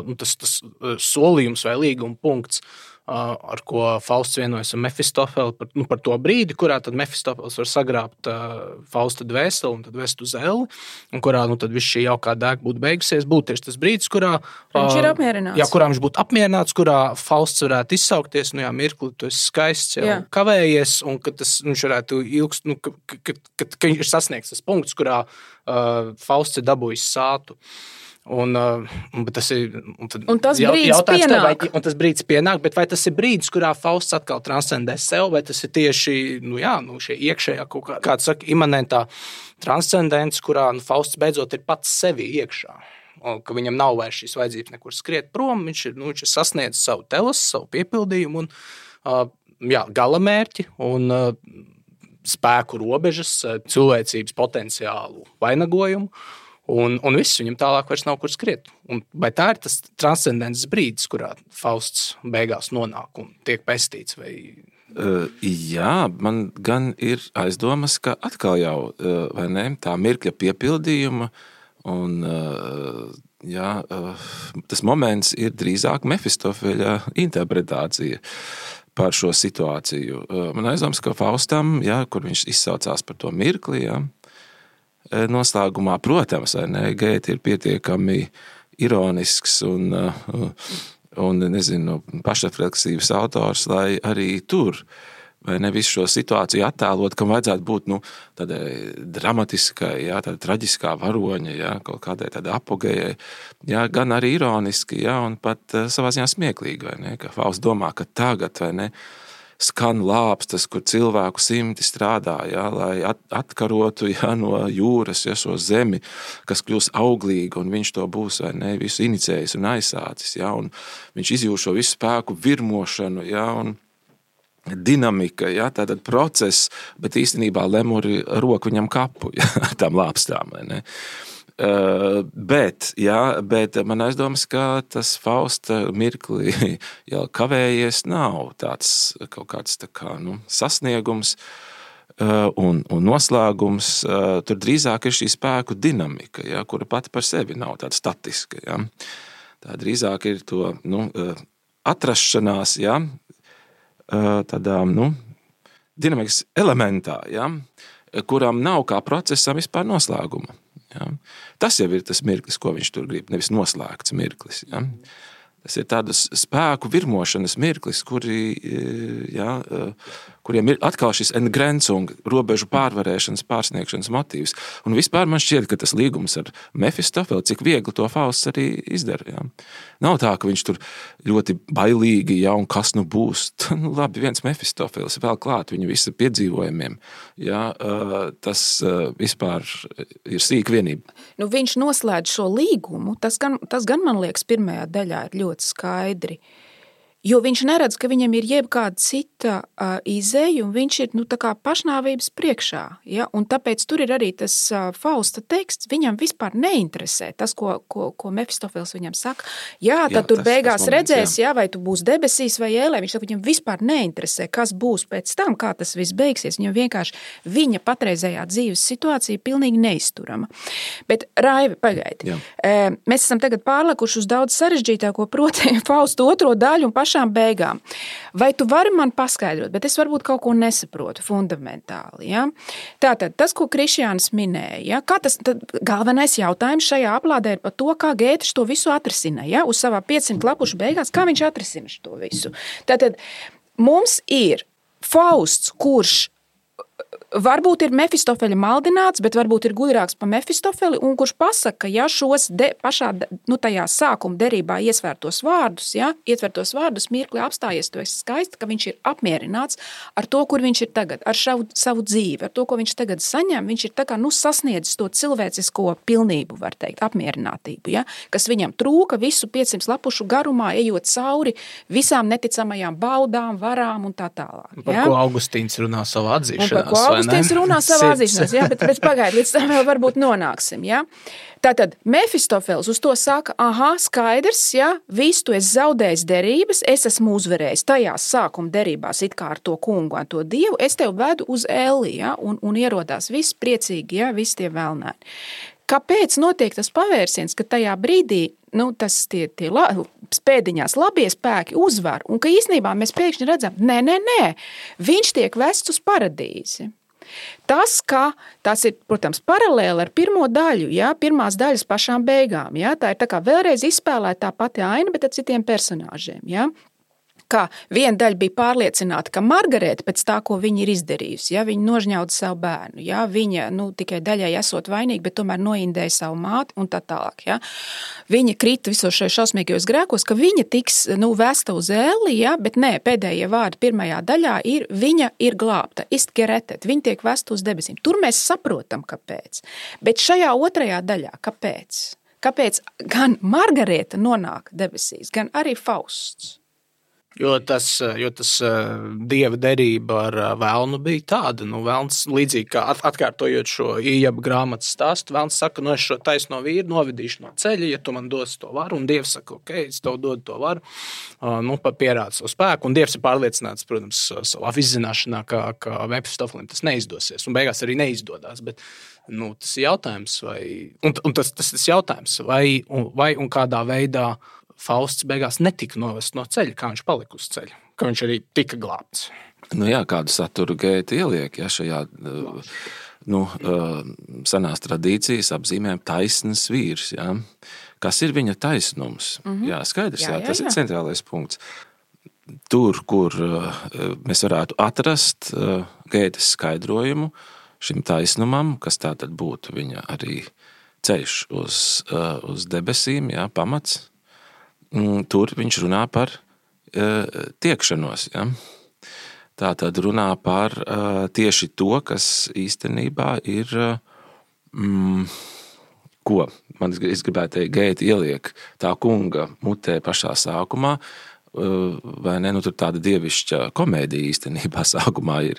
S2: nu, tas, tas solījums vai līguma punkts ar ko Fausts vienojas ar Mefistofeli par, nu, par to brīdi, kurā tad Mefistofels var sagrābt uh, Fausta dvēseli un tad vest uz elli, un kurā nu, tad viss šī jaukā dēka būtu beigusies, būtu tieši tas brīdis, kurā
S1: viņš ir apmierināts.
S2: Jā, kurā viņš būtu apmierināts, kurā Fausts varētu izsaukties, nu jā, mirkli, tu esi skaists, jau jā. kavējies, un ka tas viņš varētu ilgst, nu, ka, ka, ka, ka, ka viņš ir sasniegts tas punkts, kurā uh, Fausts ir dabūjis sātu. Un, uh, tas ir, un, tad,
S1: un tas brīdis pienāk.
S2: Vai, un tas brīdis pienāk, bet vai tas ir brīdis, kurā Fausts atkal transcendē sev, vai tas ir tieši nu jā, nu šie iekšējā kaut kā, kāds saka, imanentā transcendence, kurā nu, Fausts beidzot ir pats sevi iekšā. Un, ka viņam nav vairs šīs vajadzības nekur skriet prom, viņš ir, nu, viņš ir sasniedzis savu telos, savu piepildījumu un uh, jā, galamērķi un uh, spēku robežas, cilvēcības potenciālu vainagojumu. Un, un viss viņam tālāk vairs nav kur skriet. Un vai tā ir tas transcendences brīdis, kurā Fausts beigās nonāk un tiek pestīts? Vai...
S3: Uh, jā, man gan ir aizdomas, ka atkal jau uh, vai ne, tā mirkļa piepildījuma un uh, jā, uh, tas moments ir drīzāk Mefistofeļa interpretācija par šo situāciju. Uh, man aizdomas, ka Faustam, jā, kur viņš izsaucās par to mirkli, jā, noslēgumā, protams, vai ne, Gēte ir pietiekami ironisks un, un nezinu, pašrefleksīvs autors, lai arī tur, vai ne, visu šo situāciju attēlot, kam vajadzētu būt, nu, tādai dramatiskai, jā, tāda traģiskā varoņa, jā, kaut kādai tāda apogējai, jā, gan arī ironiski, jā, un pat savā ziņā smieklīgi, vai ne, ka Fausts domā, ka tagad, vai ne, skan lāpstas, kur cilvēku simti strādā, jā, lai atkarotu jā, no jūras jā, šo zemi, kas kļūs auglīga, un viņš to būs vai ne, visu inicējis un aizsācis. Jā, un viņš izjūt šo visu spēku virmošanu jā, un dinamika, jā, tātad process, bet īstenībā lemuri roku viņam kapu jā, tām lāpstām. Vai ne. Uh, bet, jā, bet man aizdomas, ka tas Fausta mirkli jau kavējies nav tāds kaut kāds tā kā, nu, sasniegums uh, un, un noslēgums. Uh, tur drīzāk ir šī spēku dinamika, jā, kura pati par sevi nav tāda statiska. Jā. Tā drīzāk ir to nu, uh, atrašanās, jā, uh, tādā nu, dinamikas elementā, jā, kuram nav kā procesam vispār noslēguma. Ja. Tas jau ir tas mirklis, ko viņš tur grib, nevis noslēgts mirklis. Ja. Tas ir tādas spēku virmošanas mirklis, kuri, ja, kuriem ir atkal šis entgrenzung, robežu pārvarēšanas, pārsniegšanas motīvs. Un vispār man šķiet, ka tas līgums ar Mefistofeli, cik viegli to Fausts arī izdara. Ja. Nav tā, ka viņš tur ļoti bailīgi, ja, un kas nu būs. Nu, labi, viens Mefistofelis vēl klāt viņa visa piedzīvojumiem. Ja, tas vispār ir sīka vienība.
S1: Nu, viņš noslēdz šo līgumu, tas gan, tas gan man liekas pirmajā daļā ir ļoti skaidri, jo viņš neredz, ka viņam ir jebkāda cita uh, izēja, un viņš ir nu, tā kā pašnāvības priekšā. Ja? Un tāpēc tur ir arī tas uh, Fausta teksts, viņam vispār neinteresē tas, ko, ko, ko Mefistofels viņam saka. Jā, tad jā, tur tas, beigās tas moments, redzēs, jā. Jā, vai tu būs debesīs vai ēlē, viņš saka, viņam vispār neinteresē, kas būs pēc tam, kā tas viss beigsies. Viņam vienkārši viņa patreizējā dzīves situācija pilnīgi neizturama. Bet, Raivi, pagaidi. E, mēs esam tagad pārlekuši uz daudz sarežģītāko, proti Fausta otro daļu un pašu beigām. Vai tu vari man paskaidrot, bet es varbūt kaut ko nesaprotu fundamentāli. Ja? Tātad, tas, ko Krišjānis minēja, ja? Kā tas galvenais jautājums šajā aplādē ir par to, kā Gēte to visu atrisina. Ja? Uz savā piecsimt lapušu beigās, kā viņš atrisina to visu. Tātad, mums ir Fausts, kurš varbūt ir Mefistofeļa maldināts, bet varbūt ir gudrāks pa Mefistofeli, un kurš pasaka, ka ja šos de, pašā nu, tajā sākuma derībā iesvērtos vārdus, ja, ietvertos vārdus, mirkli apstājies, tu esi skaisti, ka viņš ir apmierināts ar to, kur viņš ir tagad, ar šavu, savu dzīvi, ar to, ko viņš tagad saņem, viņš ir tā kā nu, sasniedzis to cilvēcisko pilnību, var teikt, apmierinātību, ja, kas viņam trūka visu piecsimt lapušu garumā, ejot cauri visām neticamajām baudām, varām un tā tālāk. Ja.
S2: Par ko Augustīns runā savā atzīšanās,
S1: Augustīns runā savā atzīšanās, jā, bet, bet pagaid, līdz tam vēl varbūt nonāksim, jā. Tātad Mefistofels uz to saka, aha, skaidrs, jā, visu tu esi zaudējis derības, es esmu uzvarējis tajās sākuma derībās it kā ar to kungu un to dievu, es tev vedu uz elli, jā, un, un ierodās viss priecīgi, jā, visi tie vēlnēni. kāpēc notiek tas pavērsiens, ka tajā brīdī nu, tas tie, tie la, spēdiņās labie spēki uzvar, un ka īstenībā mēs pēkšņi redzam, nē, nē, nē, viņš tiek vests uz paradīzi. Tas, ka tas ir, protams, paralēli ar pirmo daļu, ja, pirmās daļas pašām beigām, ja, tā ir tā kā vēlreiz izspēlēta tā pati aina, bet ar citiem personāžiem, ja. Kā viena daļa bija pārliecināta, ka Margareta pēc tā, ko viņa ir izdarījusi, ja, viņa nožņauda savu bērnu, ja, viņa nu, tikai daļai esot vainīga, bet tomēr noindēja savu māti un tā tālāk. Ja. Viņa krita visos šajos šausmīgajos grēkos, ka viņa tiks nu, vesta uz ēli, ja, bet nē, pēdējie vārdi pirmajā daļā ir, viņa ir glābta, ist geretet, viņa tiek vesta uz debesīm. Tur mēs saprotam, kāpēc. Bet šajā otrajā daļā, kāpēc? Kāpēc gan Margareta nonāk debesīs, gan arī Fausts?
S2: Jo tas, jo tas dieva derība ar velnu bija tāda, nu, velns līdzīgi kā atkārtojot šo Ījaba grāmatas stāstu, velns saka, nu, es šo taisno vīru novedīšu no ceļa, ja tu man dos to varu, un Dievs saka, ok, es tev dodu to varu, nu, pierāda savu spēku, un Dievs ir pārliecināts, protams, savā izzināšanā, ka, ka Mefistofelim tas neizdosies, un beigās arī neizdodās, bet, nu, tas ir jautājums, vai, un, un tas, tas ir jautājums, vai, un, vai un kādā veidā Fausts beigās netika novest no ceļa, kā viņš palika uz ceļa, ka viņš arī tika glābts.
S3: Nu jā, kādu saturu Gēta ieliek, ja šajā nu, senās tradīcijas apzīmēm taisnas vīrs, ja? Kas ir viņa taisnums? Mm-hmm. Jā, skaidrs, jā, jā, tas jā. Ir centrālais punkts. Tur, kur mēs varētu atrast Gētas skaidrojumu šim taisnumam, kas tā tad būtu viņa arī ceļš uz, uz debesīm, jā, pamats, tur viņš runā par uh, tiekšanos. Ja? Tā tad runā par uh, tieši to, kas īstenībā ir, mm, ko man es gribētu teikt, Gēta ieliek tā kunga mutē pašā sākumā, uh, vai ne, nu tur tāda dievišķa komēdija īstenībā sākumā ir,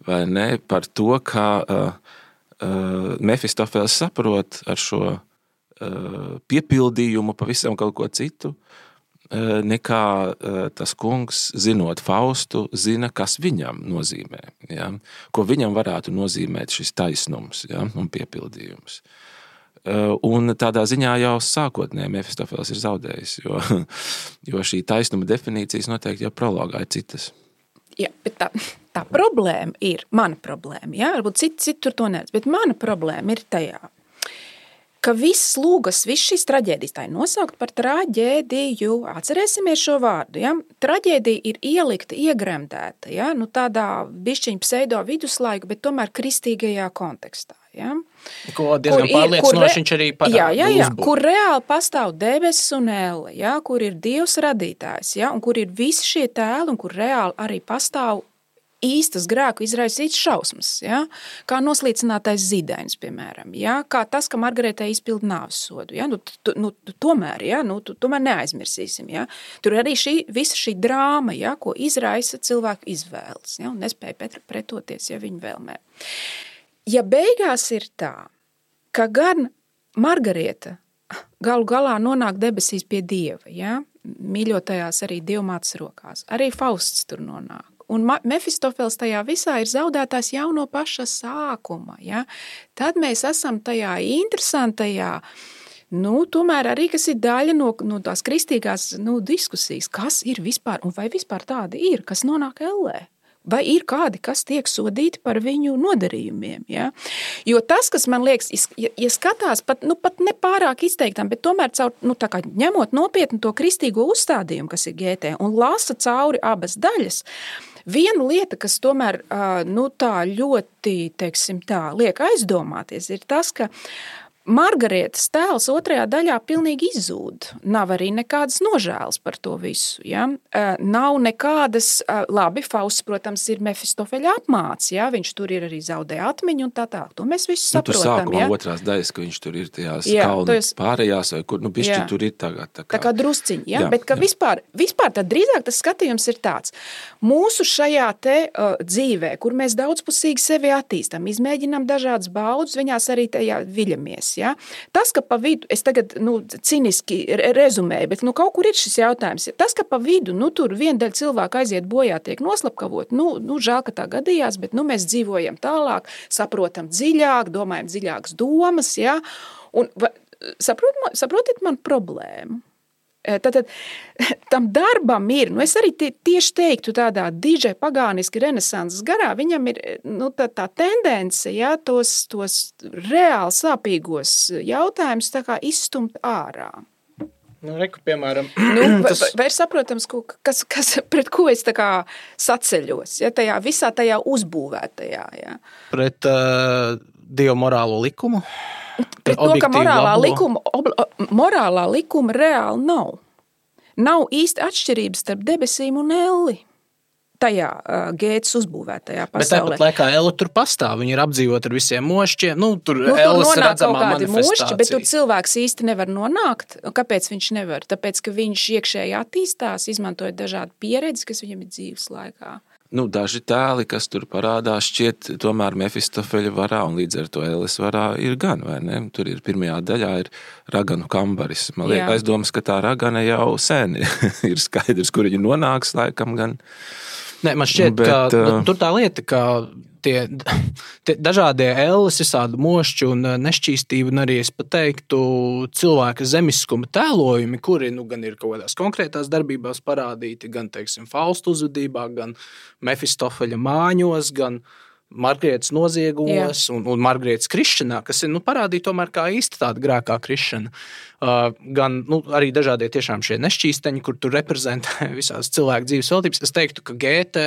S3: vai ne, par to, ka uh, uh, Mefistofels saprot ar šo piepildījumu pavisam kaut ko citu, nekā tas kungs, zinot Faustu, zina, kas viņam nozīmē, ja? Ko viņam varētu nozīmēt šis taisnums, ja? Un piepildījums. Un tādā ziņā jau sākotnē Mefistofels ir zaudējis, jo, jo šī taisnuma definīcijas noteikti jau prologā ir citas.
S1: Jā, bet tā, tā problēma ir, mana problēma, ja? Varbūt citi, citi tur to neredz, bet mana problēma ir tajā, ka viss lūgas, viss šīs traģēdijas, tā ir nosaukt par traģēdiju. Atcerēsimies šo vārdu. Ja? Traģēdija ir ielikta, iegremdēta, ja? Nu, tādā bišķiņa pseido viduslaiku, bet tomēr kristīgajā kontekstā. Ja?
S2: Ko diezgan pārliecinoši viņš arī parāda.
S1: Jā, jā, jā, kur reāli pastāv debesis un elle, ja? Kur ir Dievs radītājs, ja? Un kur ir visi šie tēli, un kur reāli arī pastāv īstas grēku izraisīts šausmas, ja? Kā noslīcinātais zīdainis, piemēram, ja? Kā tas, ka Margaretai izpilda nāves sodu. Ja? Nu, tu, nu, tomēr, ja? Nu, tu, tomēr neaizmirsīsim. Ja? Tur arī šī, visa šī drāma, ja? Ko izraisa cilvēku izvēles, ja? Un nespēja pretoties ja, viņu vēlmē. Ja beigās ir tā, ka gan Margareta galu galā nonāk debesīs pie Dieva, ja? Mīļotajās arī Dievmātes rokās, arī Fausts tur nonāk. Un Mefistofels tajā visā ir zaudētājs jau no paša sākuma. Ja? Tad mēs esam tajā interesantajā, nu, tomēr arī, kas ir daļa no, no tās kristīgās nu, diskusijas, kas ir vispār, un vai vispār tādi ir, kas nonāk ellē. Vai ir kādi, kas tiek sodīti par viņu nodarījumiem. Ja? Jo tas, kas man liekas, ja, ja skatās pat, nu, pat nepārāk izteiktam, bet tomēr caur, nu, tā kā ņemot nopietni to kristīgo uzstādījumu, kas ir Gētē, un lasa cauri abas daļas, viena lieta, kas tomēr nu, tā ļoti, teiksim tā, liek aizdomāties, ir tas, ka Margaretas tēls otrajā daļā pilnīgi izzūd. Nav arī nekādas nožēlas par to visu. Ja? Nav nekādas, labi, Fausts, protams, ir Mefistofeļa apmāts, ja? Viņš tur ir arī zaudē atmiņu un tā tā. To mēs visi saprotam.
S3: Nu, tur sākumā
S1: ja?
S3: Otrās daļas, ka viņš tur ir tajās jā, kalnu es... pārējās, vai kur, nu, bišķi jā. Tur ir tagad. Tā kā,
S1: tā kā drusciņi, ja?
S3: jā,
S1: Bet ka jā. Vispār, vispār tad drīzāk tas skatījums ir tāds. Mūsu šajā te uh, dzīvē, kur mēs daudzpusīgi sevi attīstam, izmēģinām dažādas baudas, viņās arī tajā viļamies. Ja? Tas, ka pa vidu, es tagad nu, ciniski rezumēju, bet nu, kaut kur ir šis jautājums. Tas, ka pa vidu nu, tur viena daļa cilvēku aiziet bojā, tiek noslapkavot, nu, nu žēl, ka tā gadījās, bet nu, mēs dzīvojam tālāk, saprotam dziļāk, domājam dziļākas domas. Ja? Un, saprot, saprotiet man problēmu? Tātad tam darbam ir, nu es arī tie, tieši teiktu tādā dižai pagāniski renesanses garā, viņam ir nu, tā, tā tendence, ja, tos, tos reāli sāpīgos jautājumus tā kā izstumt ārā.
S2: Nu, reku, piemēram,
S1: nu,
S2: tas...
S1: vai, vai ir saprotams, kas, kas, pret ko es tā kā saceļos, ja, tajā visā tajā uzbūvētajā. Ja.
S2: Pret uh, Dievu morālo likumu?
S1: Pret to, ka morālā likuma, ob, morālā likuma reāli nav. Nav īsti atšķirības starp debesīm un elli tajā uh, Gētas uzbūvētajā pasaulē.
S2: Bet tāpat laikā Ella tur pastāv, viņi ir apdzīvot ar visiem mošķiem. Nu, tur
S1: nu,
S2: Ellas
S1: tur nonāk kaut kādi
S2: mošķi,
S1: bet tur cilvēks īsti nevar nonākt. Kāpēc viņš nevar? Tāpēc, ka viņš iekšēji attīstās, izmantojot dažādu pieredzi, kas viņam ir dzīves laikā.
S3: Nu, daži tēli, kas tur parādās, šķiet tomēr Mefistofeļa varā un līdz ar to Elles varā ir gan, vai ne? Tur ir pirmajā daļā ir raganu kambaris. Man liekas, aizdomas, ka tā ragana jau sen ir skaidrs, kur viņa nonāks laikam gan.
S2: Nē, man šķiet, Bet, ka uh, tur tā lieta, ka tie, tie dažādie Elles, visādi mošķi un nešķīstība, un arī es pateiktu cilvēka zemiskuma tēlojumi, kuri nu, gan ir kaut kādās konkrētās darbībās parādīti, gan, teiksim, Fausta uzvedībā, gan Mefistofeļa māņos, gan Margrietas noziegumos un, un Margrietas krišanā, kas ir nu, parādīti tomēr kā īsti tāda grēkā krišana. Uh, gan nu, arī dažādie tiešām šie nešķīsteņi, kur tur reprezentē visās cilvēku dzīves veltības. Es teiktu, ka Gēte,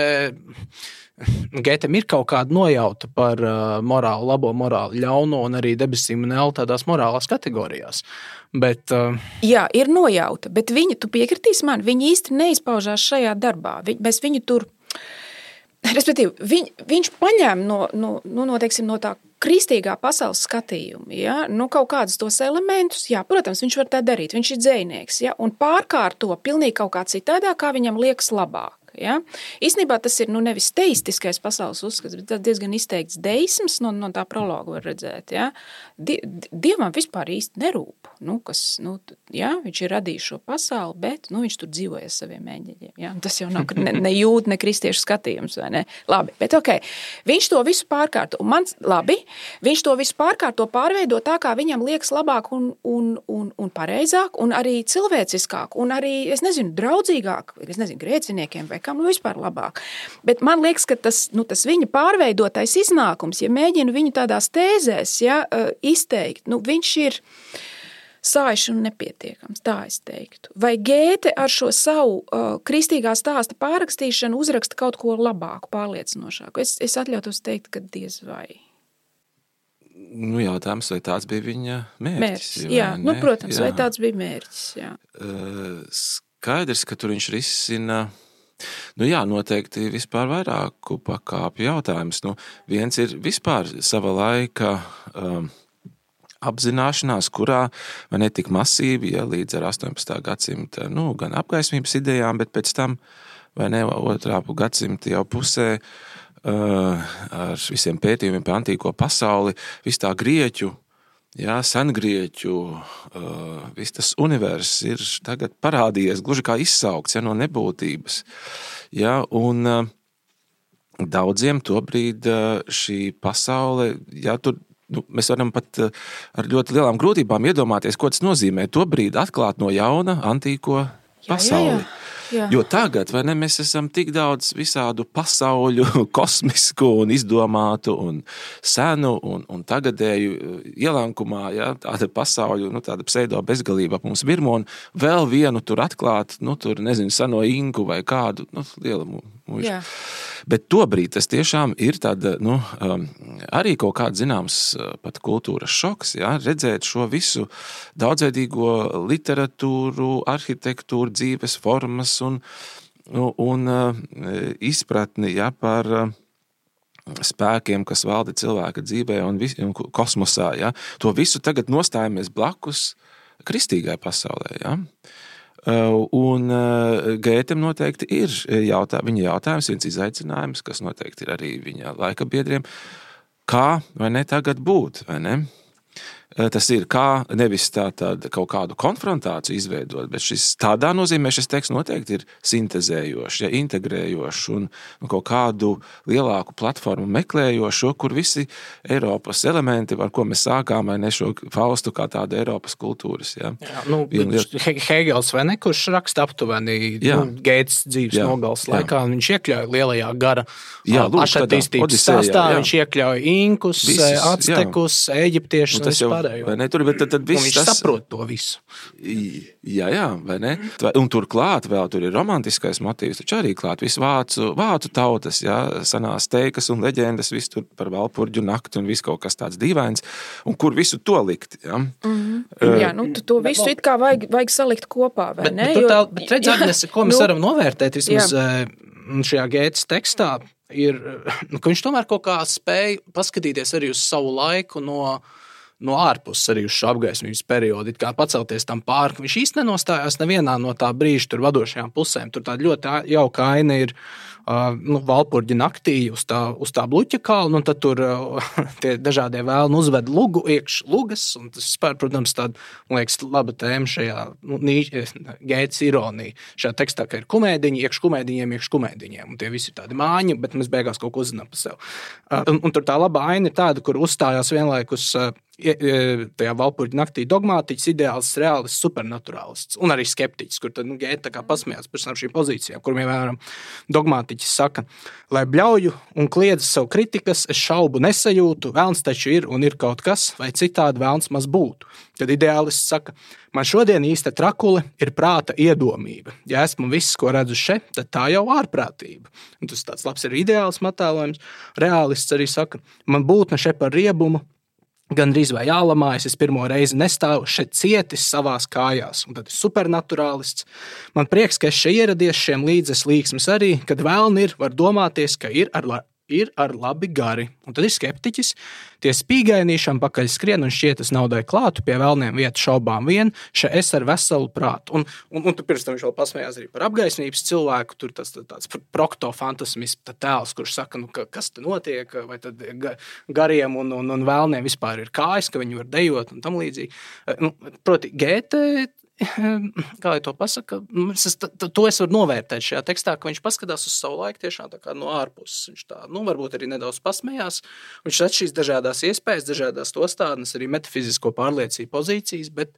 S2: Gētem ir kaut kāda nojauta par uh, morālu labo, morālu ļauno un arī debesīm un elli tādās morālās kategorijās. Bet, uh...
S1: Jā, ir nojauta, bet viņi, tu piekritīs man, viņi īsti neizpaužās šajā darbā. Vi, mēs viņu tur... Respektīvi, viņ, viņš paņem no, no, no, teiksim, no tā kristīgā pasaules skatījuma, ja? Nu, kaut kādus tos elementus, jā, protams, viņš var tā darīt, viņš ir dzejnieks, ja? Un pārkārto pilnīgi kaut kā citādā, kā viņam liekas labāk. Ja? Īstenībā tas ir nu, nevis teistiskais pasaules uzskats, bet tas diezgan izteikts deisms, no, no tā prologa var redzēt. Ja? Die, dievam vispār īsti nerūp, nu, kas, nu, ja? Viņš ir radījis šo pasauli, bet nu, viņš tur dzīvoja saviem eņģeļiem. Ja? Tas jau nav ne, ne jūda, ne kristiešu skatījums, vai ne? Labi, bet ok, viņš to visu pārkārto, un man, labi, viņš to visu pārkārto pārveido tā, kā viņam liekas labāk un, un, un, un pareizāk, un arī cilvēciskāk, un arī, es nezinu, draudzīgāk, es nezinu, grēciniekiem vai kam, nu vispār labāk. Bet man liekas, ka tas, nu, tas viņa pārveidotais iznākums, ja mēģinu viņu tādās tēzēs ja, izteikt, nu, viņš ir sājuši un nepietiekams, tā es teiktu. Vai Gēte ar šo savu uh, kristīgā stāsta pārrakstīšanu uzraksta kaut ko labāku, pārliecinošāku? Es, es atļautos teikt, ka diez vai.
S3: Nu, jautājums, vai tāds bija viņa mērķis?
S1: Mērķis, jā. Nu, protams, jā. Vai tāds bija mērķis, jā.
S3: Uh, skaidrs, ka tur viņš risina... Nu jā, noteikti vispār vairāku pakāpju jautājums. Nu, viens ir vispār sava laika um, apzināšanās, kurā vai ne tik masīvi, ja līdz ar astoņpadsmitā gadsimta, nu, gan apgaismības idejām, bet pēc tam, vai ne, otrā gadsimta jau pusē, uh, ar visiem pētījumiem par antīko pasauli, viss tā grieķu, jā, sengrieķu, uh, viss tas univers ir tagad parādījies, gluži kā izsaukts, ja, no nebūtības. Ja, un uh, daudziem tobrīd uh, šī pasaule, ja, tur, nu, mēs varam pat uh, ar ļoti lielām grūtībām iedomāties, ko tas nozīmē tobrīd atklāt no jauna antīko pasauli. Jā, jā, jā. Jā. Jo tagad, vai ne, mēs esam tik daudz visādu pasauļu, kosmisku un izdomātu un senu un, un tagadēju ielankumā, ja, tāda pasauļu, nu, tāda pseido bezgalība ap mums virmo un vēl vienu tur atklāt, nu, tur, nezinu, seno inku vai kādu, nu, liela mūža. Bet tobrīd tas tiešām ir tāda, nu, arī kaut kāds zināms pat kultūras šoks, ja, redzēt šo visu daudzveidīgo literatūru, arhitektūru, dzīves formas un, un izpratni, ja, par spēkiem, kas valda cilvēka dzīvē un, vis, un kosmosā. Ja. To visu tagad nostājamies blakus kristīgai pasaulē, ja. Un Gētem noteikti ir jautā, viņa jautājums, viens izaicinājums, kas noteikti ir arī viņa laika biedriem, kā vai ne tagad būt, vai ne? Tas ir kā nevis tā tāda kaut kādu konfrontāciju izveidot, bet šis tādā nozīmē šis teksts noteikti ir sintezējošs, ja, integrējošs un, un kaut kādu lielāku platformu meklējošo, kur visi Eiropas elementi, ar ko mēs sākām, vai ne šo Faustu kā tādu Eiropas kultūras. Ja.
S2: Jā, nu, Hegels vai ne, kurš raksta aptuveni nu, Gētas dzīves jā, nogales laikā, jā. Viņš iekļauj lielajā gara pašattīstības stāstā, jā. Viņš iekļauj inkus, Visus, actekus, eģiptiešus un vispār.
S3: Vai ne? Tur, bet tad, tad viss
S2: viņš
S3: tas...
S2: saprot to visu.
S3: Jā, jā, vai ne? Un turklāt vēl tur ir romantiskais motīvs, taču arī klāt visu vācu, vācu tautas, jā, sanās teikas un leģendas, visu tur par Valpurģu nakti un visu kaut kas tāds dīvains, un kur visu to likt, jā?
S1: Mm-hmm. Uh, jā, nu to visu bet, it kā vajag, vajag salikt kopā, vai
S2: bet,
S1: ne?
S2: Bet,
S1: jo,
S2: tā, bet redz, Agnes, ko mēs
S1: nu,
S2: varam novērtēt vismaz jā. Šajā Gētas tekstā, ir, ka viņš tomēr kaut kā spēja paskatīties arī uz savu laiku no no ārpuses arī uz šo apgaismības periodu, it kā pacelties tam pāri, ka viņš īsti nenostājās nevienā no tā brīža tur vadošajām pusēm. Tur tāda ļoti jauka aina ir uh, nu, Valpurģa naktī uz tā, uz tā bluķa kalna, un tad tur uh, tie dažādie vēlni uzved lugu iekš lugas, un tas vispār, protams, tāda, man liekas, laba tēma šajā nu, Gētas ironija. Šajā tekstā, ka ir kumēdiņi, iekš kumēdiņiem, iekš kumēdiņiem, un tie visi ir tādi māņi, bet mēs beigās kaut ko uzzinām par sevi. Uh, un, un tur tā laba aina ir tāda, kur uzstājās vienlaikus uh, tajā Valpurģa naktī dogmātiķis, ideāls, reālists, supernaturālists un arī skeptiķis, kur tad nu, Gēta tā kā pasmējās par šīm pozīcijām, kur vienmēram dogmātiķis saka, lai bļauju un kliedz savu kritikas, es šaubu nesajūtu, velns taču ir un ir kaut kas, vai citādi velns maz būtu. Tad ideālists saka, man šodien īsta trakule ir prāta iedomība. Ja esmu viss, ko redzu še, tad tā jau ārprātība. Un tas tāds labs ir ideāls attēlojums. Reālists arī saka, man būtne še par riebumu, gan drīz vai jālamājas, es pirmo reizi nestāvu šeit cietis savās kājās, un tad ir supernaturālists. Man prieks, ka es šeit ieradies šiem līdzes līksmes arī, kad vēlni ir, var domāties, ka ir ar, ir ar labi gari. Un tad ir skeptiķis, tie spīgainīšam pakaļ skrien un šķietas naudai klātu, pie vēlniem vietu šaubām vien, še es ar veselu prātu. Un, un, un pirms tam viņš vēl pasmējās arī par apgaismības cilvēku, tur tas tāds proktofantasmisms tēls, kurš saka, nu, ka, kas te notiek, vai tad gariem un, un, un vēlniem vispār ir kājas, ka viņi var dejot un tam līdzīgi. Nu, proti, Gēte, kā lai to pasaka, es, to es varu novērtēt šajā tekstā, ka viņš paskatās uz savu laiku tiešām tā kā no ārpuses. Viņš tā, nu, varbūt arī nedaudz pasmējās. Viņš redz šīs dažādās iespējas, dažādās tostādnes, arī metafizisko pārliecību pozīcijas, bet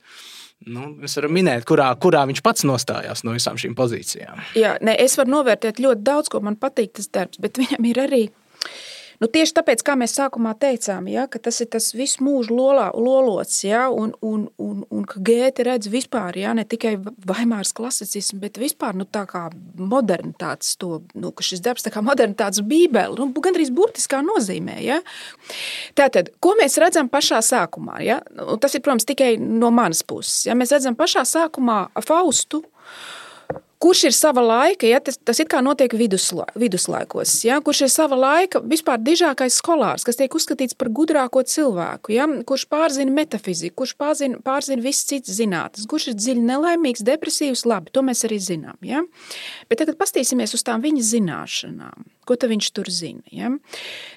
S2: nu, mēs varam minēt, kurā, kurā viņš pats nostājās no visām šīm pozīcijām.
S1: Jā, ne, es varu novērtēt ļoti daudz, ko man patīk tas darbs, bet viņam ir arī Nu, tieši tāpēc, kā mēs sākumā teicām, ja, ka tas ir tas visu mūžu lolā, lolots, ja, un, un, un, un ka Gēte redz vispār, ja, ne tikai Vaimāras klasicismu, bet vispār nu, tā kā modernitātes to, nu, ka šis darbs tā kā modernitātes bībeli, nu, gandrīz burtiskā nozīmē. Ja. Tātad, ko mēs redzam pašā sākumā? Ja? Tas ir, protams, tikai no manas puses. Ja? Mēs redzam pašā sākumā Faustu, kurš ir sava laika, ja, tas, tas it kā notiek vidusla, viduslaikos, ja, kurš ir sava laika vispār dižākais skolārs, kas tiek uzskatīts par gudrāko cilvēku, ja, kurš pārzina metafiziku, kurš pārzina, pārzina visas citas zinātnes, kurš ir dziļi nelaimīgs, depresīvs, labi, to mēs arī zinām. Ja. Bet tagad pastīsimies uz tām viņa zināšanām, ko tad viņš tur zina. Ja.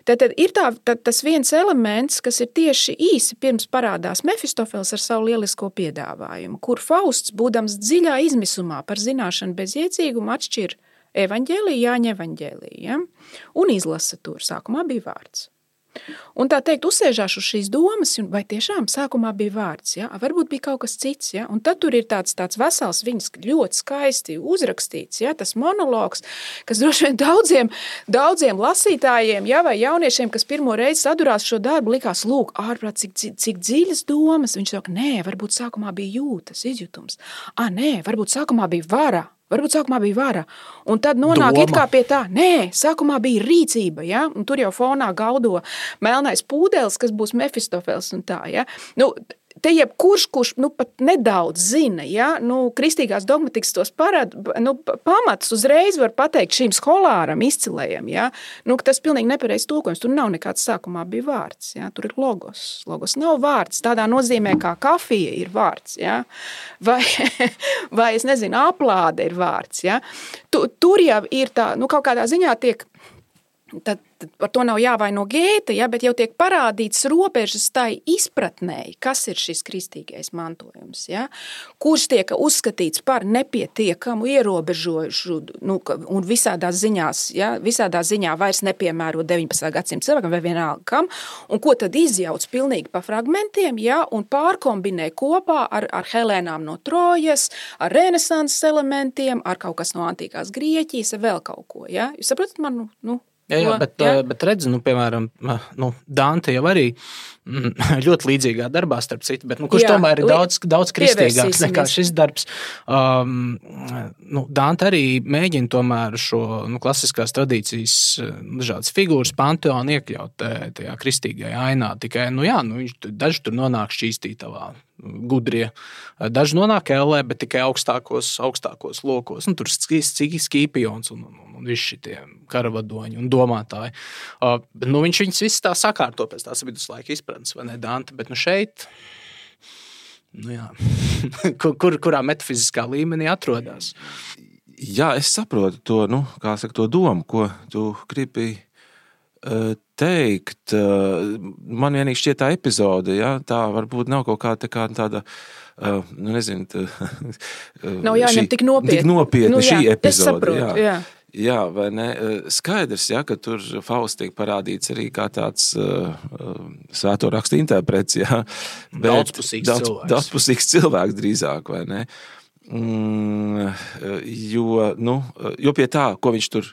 S1: Tad ir tā, tad tas viens elements, kas ir tieši īsi pirms parādās Mefistofels ar savu lielisko piedāvājumu, kur Fausts, būdams dziļā izmisumā par zināšanu bez iecīguma, atšķir evaņģēliju, Jāņa evaņģēliju, ja? Un izlasa tur. Sākumā bija vārds. Un tā teikt, uzsēžās uz šīs domas, vai tiešām sākumā bija vārds, ja? Varbūt bija kaut kas cits, ja? Un tad tur ir tāds, tāds vesels, viņas ļoti skaisti uzrakstīts, ja? Tas monologs, kas droši vien daudziem, daudziem lasītājiem, ja? Vai jauniešiem, kas pirmo reizi sadurās šo darbu, likās, lūk, ārprāt, cik, cik dziļas domas. Viņš saka, nē, varbūt sākumā bija jūtas, izjutums. Ā, nē, varbūt sākumā bija vara. Varbūt sākumā bija vara, un tad nonāk Doma. It kā pie tā, nē, sākumā bija rīcība, ja, un tur jau fonā gaudo melnais pūdelis, kas būs Mefistofels un tā, ja. Nu, te jebkurš, kurš nu, pat nedaudz zina, ja, nu, kristīgās dogmatikas tos parād, nu, pamats uzreiz var pateikt šīm skolāram izcilējiem, ja, nu, tas pilnīgi nepareiz tulkojums, tur nav nekāds sākumā bija vārds, ja, tur ir logos, logos nav vārds, tādā nozīmē kā kafija ir vārds, ja, vai, vai es nezinu, aplāde ir vārds, ja, tu, tur jau ir tā, nu, kaut kādā ziņā tiek tad, tad par to nav jāvaino Gēta, ja, bet jau tiek parādīts robežas tai izpratnēji, kas ir šis kristīgais mantojums, ja, kurš tiek uzskatīts par nepietiekamu, ierobežojušu, nu, un visādā ziņās, ja, visādā ziņā vairs nepiemēro deviņpadsmitā gadsimta cilvēkam vai vienalga kam, un ko tad izjauc pilnīgi pa fragmentiem, ja, un pārkombinē kopā ar, ar Helēnām no Trojas, ar renesanses elementiem, ar kaut kas no antīkās Grieķijas, ar vēl kaut ko, ja. Jūs saprotat man, nu,
S2: Jā, jā, bet, jā. bet redzi, nu, piemēram, nu, Dante jau arī ļoti līdzīgā darbā, starp citu, bet nu, kurš jā, tomēr ir daudz, daudz kristīgāks nekā šis darbs. Um, nu, Dante arī mēģina tomēr šo nu, klasiskās tradīcijas dažādas figūras panteonu iekļaut tajā kristīgajā ainā. Tikai, nu jā, nu, viņš daži tur nonāk šķīstītavā, gudrie. Daži nonāk ellē, bet tikai augstākos, augstākos lokos. Nu, tur Skīpions un, un, un visi šitie karavadoņi un domātāji. Uh, nu, viņš viņus visus tā sakārto pēc tās viduslaika izpratnes, vai ne, Dante? Bet nu šeit, nu jā, kur, kur, kurā metafiziskā līmenī atrodas?
S3: Jā, es saprotu to, nu, kā saka, to domu, ko tu gribi uh, teikt. Uh, man vienīgi šķiet tā epizode, ja, tā varbūt nav kaut kā tā kā tāda, uh, nu nezinu, tā,
S1: nav jāņem tik nopietni.
S3: Tik nopietni
S1: nu, jā,
S3: šī epizode.
S1: Es saprotu, jā. jā.
S3: Jā, vai ne? Skaidrs, ja, ka tur Fausts tiek parādīts arī kā tāds uh, svēto rakstu interprets, jā.
S2: Daudzpusīgs
S3: daudz,
S2: cilvēks.
S3: Daudzpusīgs cilvēks drīzāk, vai ne? Mm, jo, nu, jo pie tā, ko viņš tur,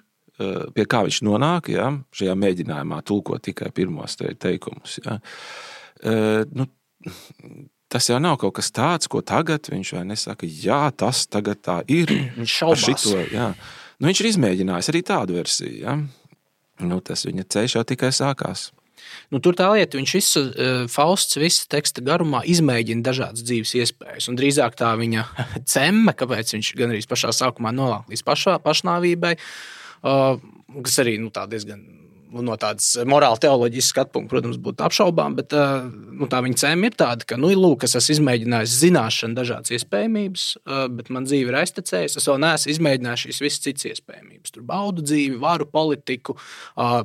S3: pie kā viņš nonāk, jā, šajā mēģinājumā tulkot tikai pirmos te, teikumus, jā. Uh, nu, tas jau nav kaut kas tāds, ko tagad viņš vai nesaka, jā, tas tagad tā ir.
S2: Viņš šaubās.
S3: Šito, jā. Nu, viņš ir izmēģinājis arī tādu versiju, ja? Nu, tas viņa ceļš jau tikai sākās.
S2: Nu, tur tā lieta, viņš visu, Fausts visu teksta garumā izmēģina dažādas dzīves iespējas, un drīzāk tā viņa cemme, kāpēc viņš gan arī pašā sākumā nolāk līdz pašā, pašnāvībai, kas arī, nu, tā diezgan no tādas morāla teoloģijas skatu punkta, protams, būtu apšaubām, bet nu, tā viņa cēma ir tāda, ka, nu, lūk, es esmu izmēģinājis zināšanu dažādas iespējamības, bet man dzīve ir aiztecējusi, es vēl neesmu izmēģinājis šīs visas citas iespējamības. Tur baudu dzīvi, varu politiku,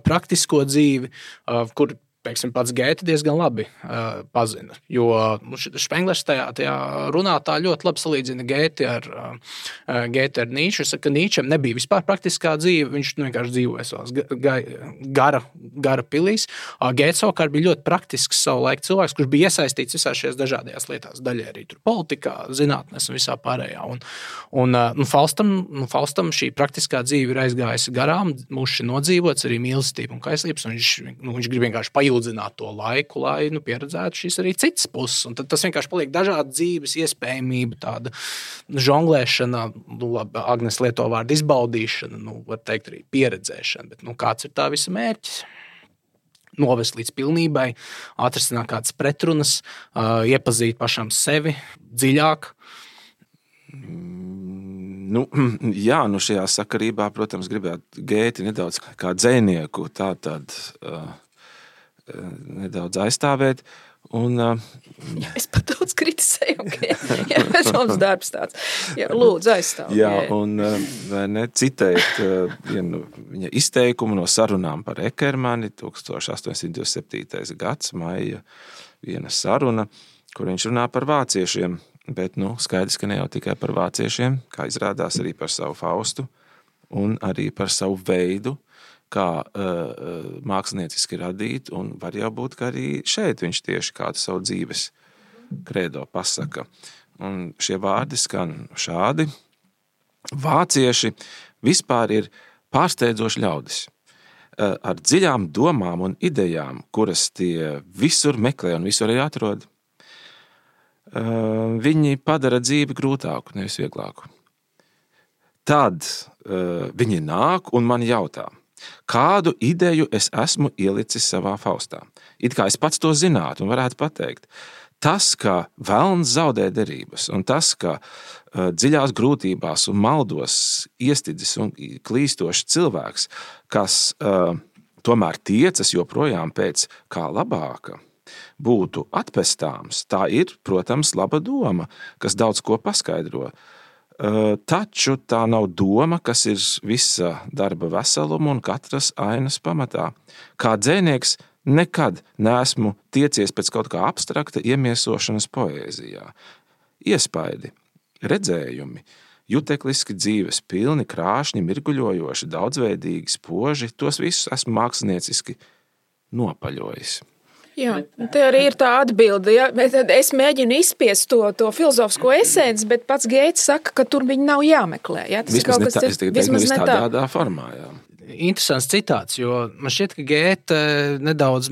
S2: praktisko dzīvi, kur, pieksim, pats Gēta diezgan labi uh, pazina, jo nu, Špenglers tajā, tajā runā tā ļoti labi salīdzina Gēti ar, uh, Gēti ar Nīču. Es saku, ka Nīčam nebija vispār praktiskā dzīve, viņš vienkārši dzīvoja savās ga, gara, gara pilīs. Uh, Gēts savukārt bija ļoti praktisks savu laiku cilvēks, kurš bija iesaistīts visā šajās dažādajās lietās, daļai arī tur politikā, zinātnēs un visā pārējā. Un, un uh, nu, Faustam, nu, Faustam šī praktiskā dzīve ir aizgājusi garām, muši nodzīvots arī mīlestība un kaislības, un viņš, nu, viņš grib vienkārši pajūt zināt to laiku, lai nu, pieredzētu šīs arī citas puses. Un tad tas vienkārši paliek dažāda dzīves iespējamība, tāda žonglēšana, nu, labi, Agnes lieto vārdu izbaudīšana, nu, var teikt arī pieredzēšana, bet nu, kāds ir tā visa mērķis? Novest līdz pilnībai, atrisināt kādas pretrunas, uh, iepazīt pašam sevi dziļāk.
S3: Nu, jā, nu šajā sakarībā, protams, gribētu Gēti nedaudz kā dzejnieku tā tad uh, nedaudz aizstāvēt. Un, uh,
S1: es pat daudz kritisēju, okay. Jā, bet mums darbs tāds. Jā, lūdzu, aizstāv.
S3: Jā, un vai ne, citēt uh, vienu viņa izteikumu no sarunām par Ekermani, tūkstoš astoņsimt divdesmit septītais gads, maija viena saruna, kur viņš runā par vāciešiem, bet, nu, skaidrs, ka ne jau tikai par vāciešiem, kā izrādās arī par savu Faustu un arī par savu veidu, kā uh, mākslinieciski radīt, un var jau būt, ka arī šeit viņš tieši kādu savu dzīves kredo pasaka. Un šie vārdi skan šādi. Vācieši vispār ir pārsteidzoši ļaudis, uh, ar dziļām domām un idejām, kuras tie visur meklē un visur arī atrod. Uh, viņi padara dzīvi grūtāku, nevis vieglāku. Tad uh, viņi nāk un man jautā, kādu ideju es esmu ielicis savā Faustā. It kā es pats to zinātu un varētu pateikt. Tas, ka velns zaudē derības, un tas, ka uh, dziļās grūtībās un maldos iestidzis un klīstošs cilvēks, kas uh, tomēr tiecas joprojām pēc kā labāka, būtu atpestāms, tā ir, protams, laba doma, kas daudz ko paskaidro. Taču tā nav doma, kas ir visa darba veseluma un katras ainas pamatā. Kā dzejnieks nekad neesmu tiecies pēc kaut kā abstrakta iemiesošanas poēzijā. Iespaidi, redzējumi, jutekliski dzīves pilni, krāšņi, mirguļojoši, daudzveidīgi, spoži, tos visus esmu mākslinieciski nopaļojis.
S1: Jā, te arī ir tā atbilde. Ja? Es mēģinu izspiest to, to filozofisko esenci, bet pats Geits saka, ka tur viņi nav jāmeklē. Ja? Tas
S3: vismaz
S1: ir kaut kas,
S3: ne tā, es tikai teiktu, vismaz tādā, tādā formā. Jā.
S2: Interesants citāts, jo man šķiet, ka Gēte nedaudz...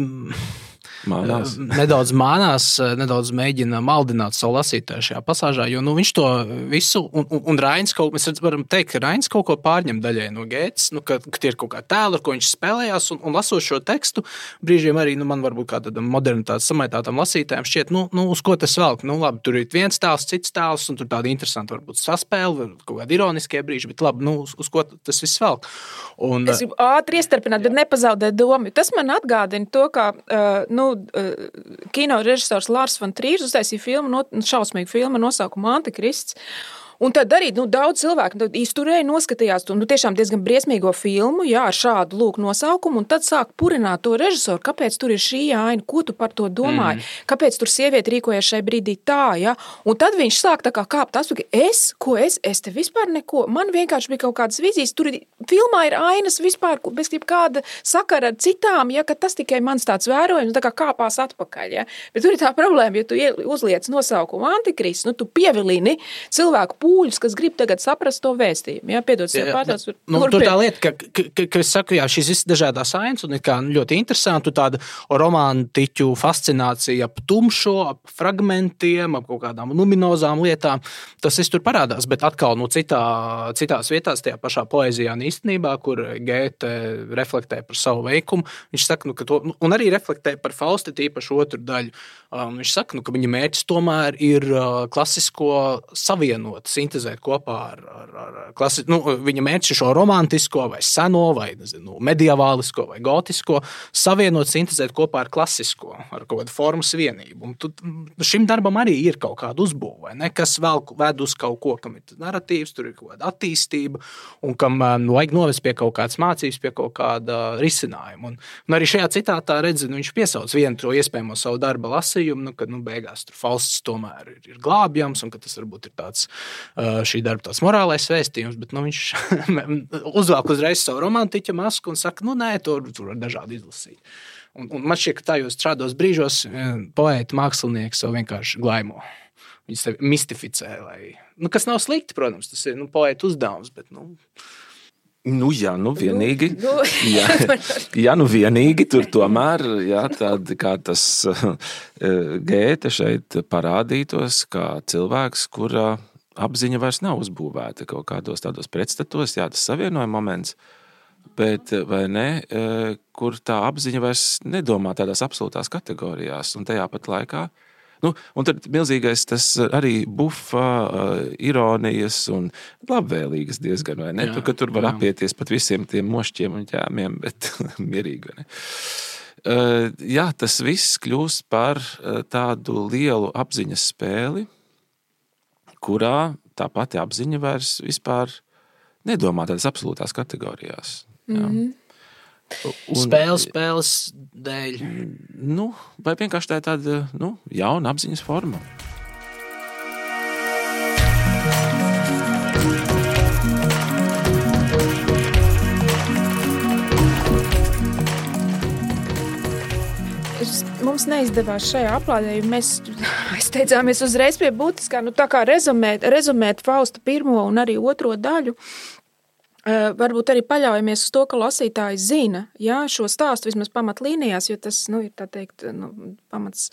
S3: Mānās.
S2: nedaudz mānās, nedaudz mēģina maldināt savu lasītāju šajā pasāžā, jo nu, viņš to visu, un, un, un Rainis kaut, mēs varam teikt, ka Rainis kaut ko pārņem daļai no Gētes, nu, ka, ka tie ir kaut kā tēli, ar ko viņš spēlējās, un, un lasot šo tekstu, brīžiem arī, nu, man varbūt kā tādam modernitātes samaitātam lasītājiem šķiet, nu, nu, uz ko tas velk, nu, labi, tur ir viens tēls, cits tēls, un tur tāda interesanta varbūt saspēle, kaut kādi ironiskie brīži, bet labi, nu, uz, uz ko tas viss velk. Un,
S1: es gribu ātri iestarpināt, bet nepazaudēt domu. Tas man atgādina to, kā, uh, nu, kino režisors Lārs van Trīrs uztaisīja filmu, šausmīgu filmu nosaukumu Antikrists. Un tad arī nu, daudz cilvēku izturēja, noskatījās to nu, tiešām diezgan briesmīgo filmu, jā, ar šādu lūk nosaukumu, un tad sāk purināt to režisoru, kāpēc tur ir šī aina, ko tu par to domāji, mm. kāpēc tur sieviete rīkojas šai brīdī tā, ja? Un tad viņš sāk tā kā kāpt atpakaļ, es, ko es, es te vispār neko, man vienkārši bija kaut kādas vizijas, tur filmā ir ainas vispār, bez kāda sakara ar citām, ja, ka tas tikai mans tāds vērojums, tā kā kāpās atpakaļ, ja? Bet tur ir tā problēma, ja tu uzliec nosaukumu Antikrists, nu tu pievilini cilvēku pūļus, kas grib tagad saprast to vēstījumu. Jā, piedod sev pārtās.
S2: Nu, tur tā lieta, ka, ka, ka, ka es saku, jā, šīs visas dažādās ainas un ir kā ļoti interesanti, tāda romantiķu fascinācija ap tumšo, ap fragmentiem, ap kaut kādām luminozām lietām. Tas viss tur parādās, bet atkal nu, citā, citās vietās, tajā pašā poēzijā un īstenībā, kur Gēte reflektē par savu veikumu, viņš saka, nu, ka to, un arī reflektē par Fausti tīpaši otru daļu. Um, viņš saka, nu, ka viņa mērķis tomēr ir uh, klasisko savienot, sintezēt kopā ar, ar, ar klasi... nu, viņa mērķis ir šo romantisko vai seno vai nezinu, medievālisko vai gotisko savienot, sintezēt kopā ar klasisko, ar kaut kādu formas vienību. Un tu, šim darbam arī ir kaut kāda uzbūve, vai ne? Kas vēl ved uz kaut ko, kam ir narratīvs, tur ir kaut kāda attīstība un kam nu, vajag novest pie kaut kādas mācības, pie kaut kāda risinājuma. Un, un arī šajā citātā redzi, nu, viņš piesauc vienu to iespējamo savu darba lasījumu, nu, kad nu, beigās tur Fausts tomēr ir, ir glābjams un ka tas varbūt ir tāds šī darba tāds morālais vēstījums, bet nu, viņš uzvelk uzreiz savu romantiķa masku un saka, nu nē, tur, tur var dažādi izlasīt. Un, un man šķiet, ka tajos šādos brīžos poēti, mākslinieki savu vienkārši glaimo. Viņus tevi mistificē, lai, nu, kas nav slikti, protams, tas ir nu, poēta uzdevums, bet, nu...
S3: Nu, jā, nu vienīgi, jā, jā, nu vienīgi tur tomēr, jā, tādi kā tas Gēte šeit parādītos, kā cilvēks, kura apziņa vairs nav uzbūvēta kaut kādos tādos pretstatos, jā, tas savienoja moments, bet, vai ne, kur tā apziņa vairs nedomā tādās absolūtās kategorijās, un tajā pat laikā, nu, un tad milzīgais tas arī bufa, ironijas un labvēlīgas diezgan, vai ne? Jā, tu, ka tur var jā. Apieties pat visiem tiem mošķiem un ķēmiem, bet mierīgi, vai ne? Jā, tas viss kļūst par tādu lielu apziņas spēli, kurā tā pati apziņa vairs vispār nedomā tādas absolūtās kategorijās. Jā. Mm-hmm.
S2: Un, spēles, spēles dēļ.
S3: Nu, vai vienkārši tā ir tāda nu, jauna apziņas forma.
S1: Mums neizdevās šajā aplādē, jo mēs steidzāmies uzreiz pie būtiskā, nu tā kā rezumēt, rezumēt Fausta pirmo un arī otro daļu. Uh, varbūt arī paļaujamies uz to, ka lasītāji zina, jā, šo stāstu vismaz pamatlīnijās, jo tas, nu, ir tā teikt, nu, pamats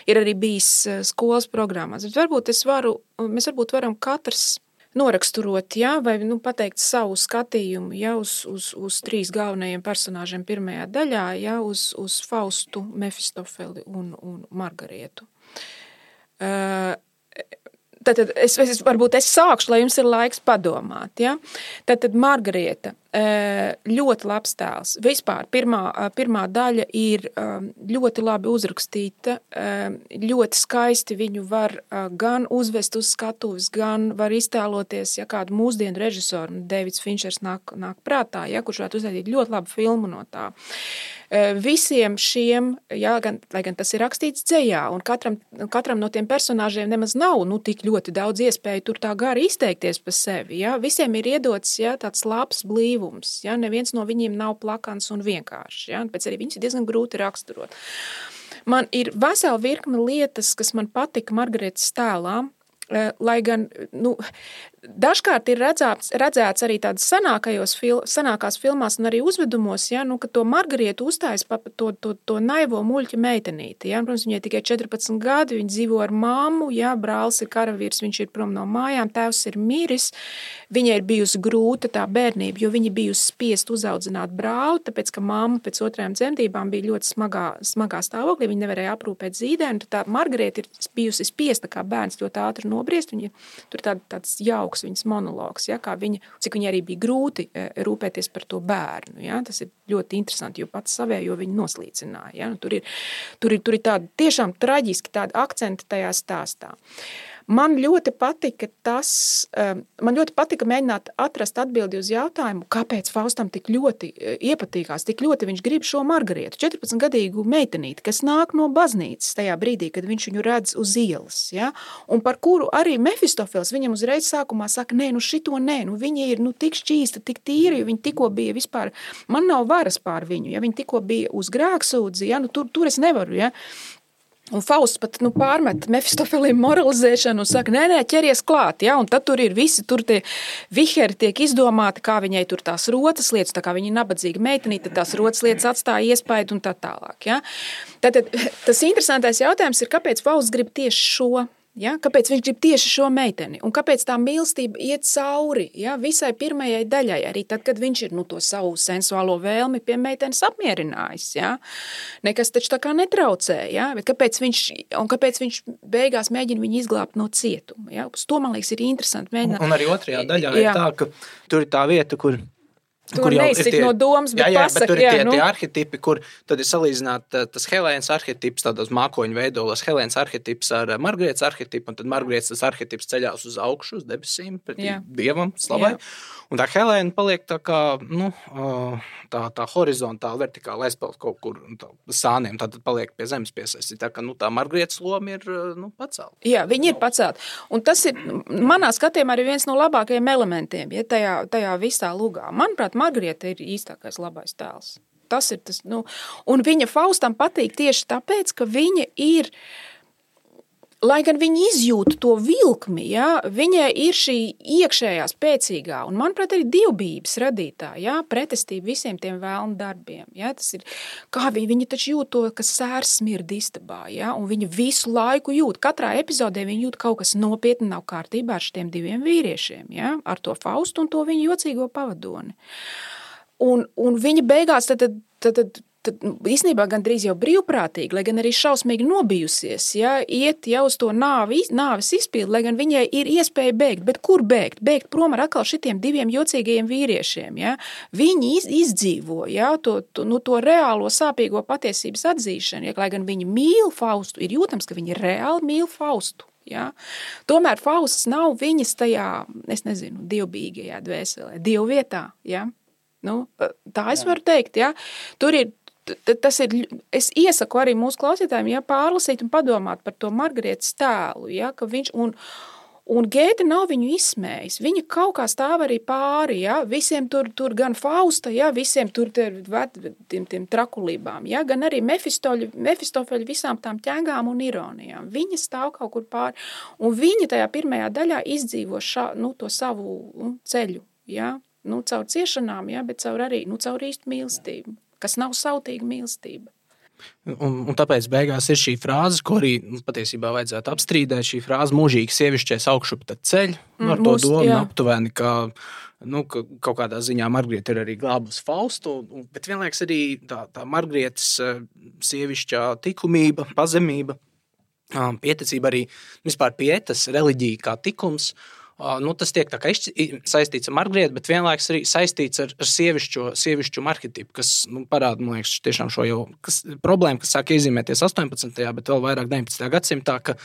S1: ir arī bijis skolas programmās. Bet varbūt es varu, mēs varbūt varam katrs noraksturot, jā, vai, nu, pateikt savu skatījumu, jā, uz, uz, uz trīs galvenajiem personāžiem pirmajā daļā, jā, uz, uz Faustu, Mefistofeli un, un Margarietu. Uh, Tātad es, es, varbūt es sākšu, lai jums ir laiks padomāt. Ja? Tātad Margarieta. Ļoti labs tēls. Vispār pirmā, pirmā daļa ir ļoti labi uzrakstīta, ļoti skaisti viņu var gan uzvest uz skatuves, gan var iztēloties, ja kādu mūsdienu režisoru, Deivids Finčers nāk, nāk prātā, ja, kurš varētu uzvedīt ļoti labu filmu no tā. Visiem šiem, jā, gan, lai gan tas ir rakstīts dzejā, un katram, katram no tiem personāžiem nemaz nav nu, tik ļoti daudz iespēju tur tā gari izteikties par sevi. Jā. Visiem ir iedots jā, tāds labs blīvums. Jā. Neviens no viņiem nav plakans un vienkārši. Jā. Pēc arī viņus ir diezgan grūti raksturot. Man ir vesela virkme lietas, kas man patika Margaretas tēlā, lai gan, nu, dažkārt ir redzēts, redzēts arī tādas sanākajos fil, sanākās filmās un arī uzvedumos, ja, nu, ka to Margarietu uzstājas pa to, to, to naivo muļķa meitenīti. Ja. Protams, viņai tikai četrpadsmit gadi, viņa dzīvo ar mammu, ja, brālis ir karavīrs, viņš ir prom no mājām, tēvs ir miris, viņai ir bijusi grūta tā bērnība, jo viņa bijusi spiest uzaudzināt brāli, tāpēc, ka mamma pēc otrajām dzemdībām bija ļoti smagā, smagā stāvoklī, viņa nevarēja aprūpēt zīdēnu, tā Margarieta ir bijusi spiesta kā bērns ļoti ātri nobriest, viņa tur tād, tāds jauks viņas monologs, ja, kā viņa, cik viņa arī bija grūti rūpēties par to bērnu. Ja. Tas ir ļoti interesanti, jo pats savējo viņa noslīcināja. Ja. Nu, tur ir, tur ir, tur ir tādi tiešām traģiski tādi akcenti tajā stāstā. Man ļoti patika tas, man ļoti patika mēģināt atrast atbildi uz jautājumu, kāpēc Faustam tik ļoti iepatīkās, tik ļoti viņš grib šo Margarietu, četrpadsmitgadīgu meitenīti, kas nāk no baznīcas tajā brīdī, kad viņš viņu redz uz ielas, ja? Un par kuru arī Mefistofels viņam uzreiz sākumā saka, nē, nu šito nē, nu viņa ir nu, tik šķīsta, tik tīra, jo viņa tikko bija vispār, man nav varas pār viņu, ja viņa tikko bija uz grēksūdzi, ja? Nu tur, tur es nevaru, ja? Un Fausts pat nu, pārmet Mefistofelim moralizēšanu un saka, nē, nē, ķeries klāt, ja, un tad tur ir visi, tur tie viheri tiek izdomāti, kā viņai tur tās rotas lietas, tā kā viņa ir nabadzīga meitenīte, tad tās rotas lietas atstāja iespaidu un tā tālāk, ja. Tātad tas interesantais jautājums ir, kāpēc Fausts grib tieši šo, ja, kāpēc viņš grib tieši šo meiteni, un kāpēc tā mīlestība iet cauri, ja, visai pirmajai daļai, arī tad, kad viņš ir, nu, to savu sensuālo vēlmi pie meitenes apmierinājis, ja, nekas taču tā kā netraucē, ja, bet kāpēc viņš, un kāpēc viņš beigās mēģina viņu izglābt no cietuma, ja, uz to, man liekas, ir interesanti mēģināt.
S2: Un, un arī otrajā daļā jā. Ir tā, ka tur ir tā vieta, kur
S1: Tu neizsit no domas, bet
S2: jā, jā,
S1: pasaka,
S2: bet tur ir
S1: jā,
S2: tie,
S1: nu.
S2: tie arhetipi, kur tad ir salīdzināt tas Helēnas arhetips, tādos mākoņu veidolos, Helēnas arhetips ar Margarietas arhetipu, un tad Margarietas tas arhetips ceļās uz augšu, uz debesīm, pretī jā. Dievam, slavai. Jā. Un tā Helēna paliek tā kā, nu, tā, tā horizontāli, vertikāli aizpeld kaut kur tā, sāniem, tad paliek pie zemes piesaistīt. Tā kā, nu, tā Margarietas loma ir, nu, pacelta.
S1: Jā, viņi ir pacelti. Un tas ir, manā skatījumā, arī viens no labākajiem elementiem, ja, tajā, tajā visā lugā. Manuprāt, Margarieta ir īstākais labais tēls. Tas ir tas, nu, un viņa Faustam patīk tieši tāpēc, ka viņa ir, lai gan viņa izjūt to vilkmi, ja, viņai ir šī iekšējā spēcīgā, un, manuprāt, arī dievbijības radītā, ja, pretestība visiem tiem vēlnu darbiem. Ja, tas ir, kā viņa, viņa taču jūt to, ka sērs smird istabā, ja, un viņa visu laiku jūt. Katrā epizodē viņa jūt kaut kas nopietni nav kārtībā ar šiem diviem vīriešiem, ja, ar to Faustu un to viņa jocīgo pavadoni. Un, un viņa beigās tad, tad, tad tad īstenībā gandrīz jau brīvprātīgi, lai gan arī šausmīgi nobijusies, ja, iet jau uz to nāvi, nāves izpildi, lai gan viņai ir iespēja bēgt, bet kur bēgt? Bēgt prom ar atkal šitiem diviem jocīgajiem vīriešiem, ja. Viņi iz, izdzīvo, ja, to, to, nu, to reālo sāpīgo patiesības atzīšanu, ja, lai gan viņi mīl Faustu, ir jūtams, ka viņi reāli mīl Faustu. Ja. Tomēr Fausts nav viņas tajā, es nezinu, dievbīgajā dvēselē, dievvietā, ja. Nu, tā es varu teikt, ja. Tur ir Tas ir, es iesaku arī mūsu klausītājiem, ja, pārlasīt un padomāt par to Margarietas tēlu, ja, ka viņš, un, un Gēte nav viņu izsmējis, viņa kaut kā stāv arī pāri, ja, visiem tur, tur gan Fausta, ja, visiem tur tiem, tiem, tiem trakulībām, ja, gan arī Mefistofeļa visām tām ķēngām un ironijām, viņa stāv kaut kur pāri, un viņa tajā pirmajā daļā izdzīvo šā, nu, to savu nu, ceļu, ja, nu, caur ciešanām, ja, bet caur arī, nu, caur īstu mīlestību. Kas nav sautīga mīlestība.
S2: Un, un tāpēc beigās ir šī frāze, ko arī nu, patiesībā vajadzētu apstrīdēt, šī frāze mūžīgi sievišķais augšup tad ceļ, mm, ar to mūs, domu jā. Aptuveni, ka, nu, ka kaut kādā ziņā Margarieta ir arī glābus Faustu, bet vienlaiks arī tā, tā Margarietas sievišķā tikumība, pazemība, pieticība arī vispār pietas, reliģija kā tikums, nu, tas tiek tā kā saistīts ar Margarietu, bet vienlaikus arī saistīts ar, ar sievišķo, sievišķu arhetipu, kas nu, parāda, man liekas, tiešām šo jau kas, problēmu, kas sāk iezīmēties astoņpadsmitajā bet vēl vairāk deviņpadsmitajā gadsimtā, ka,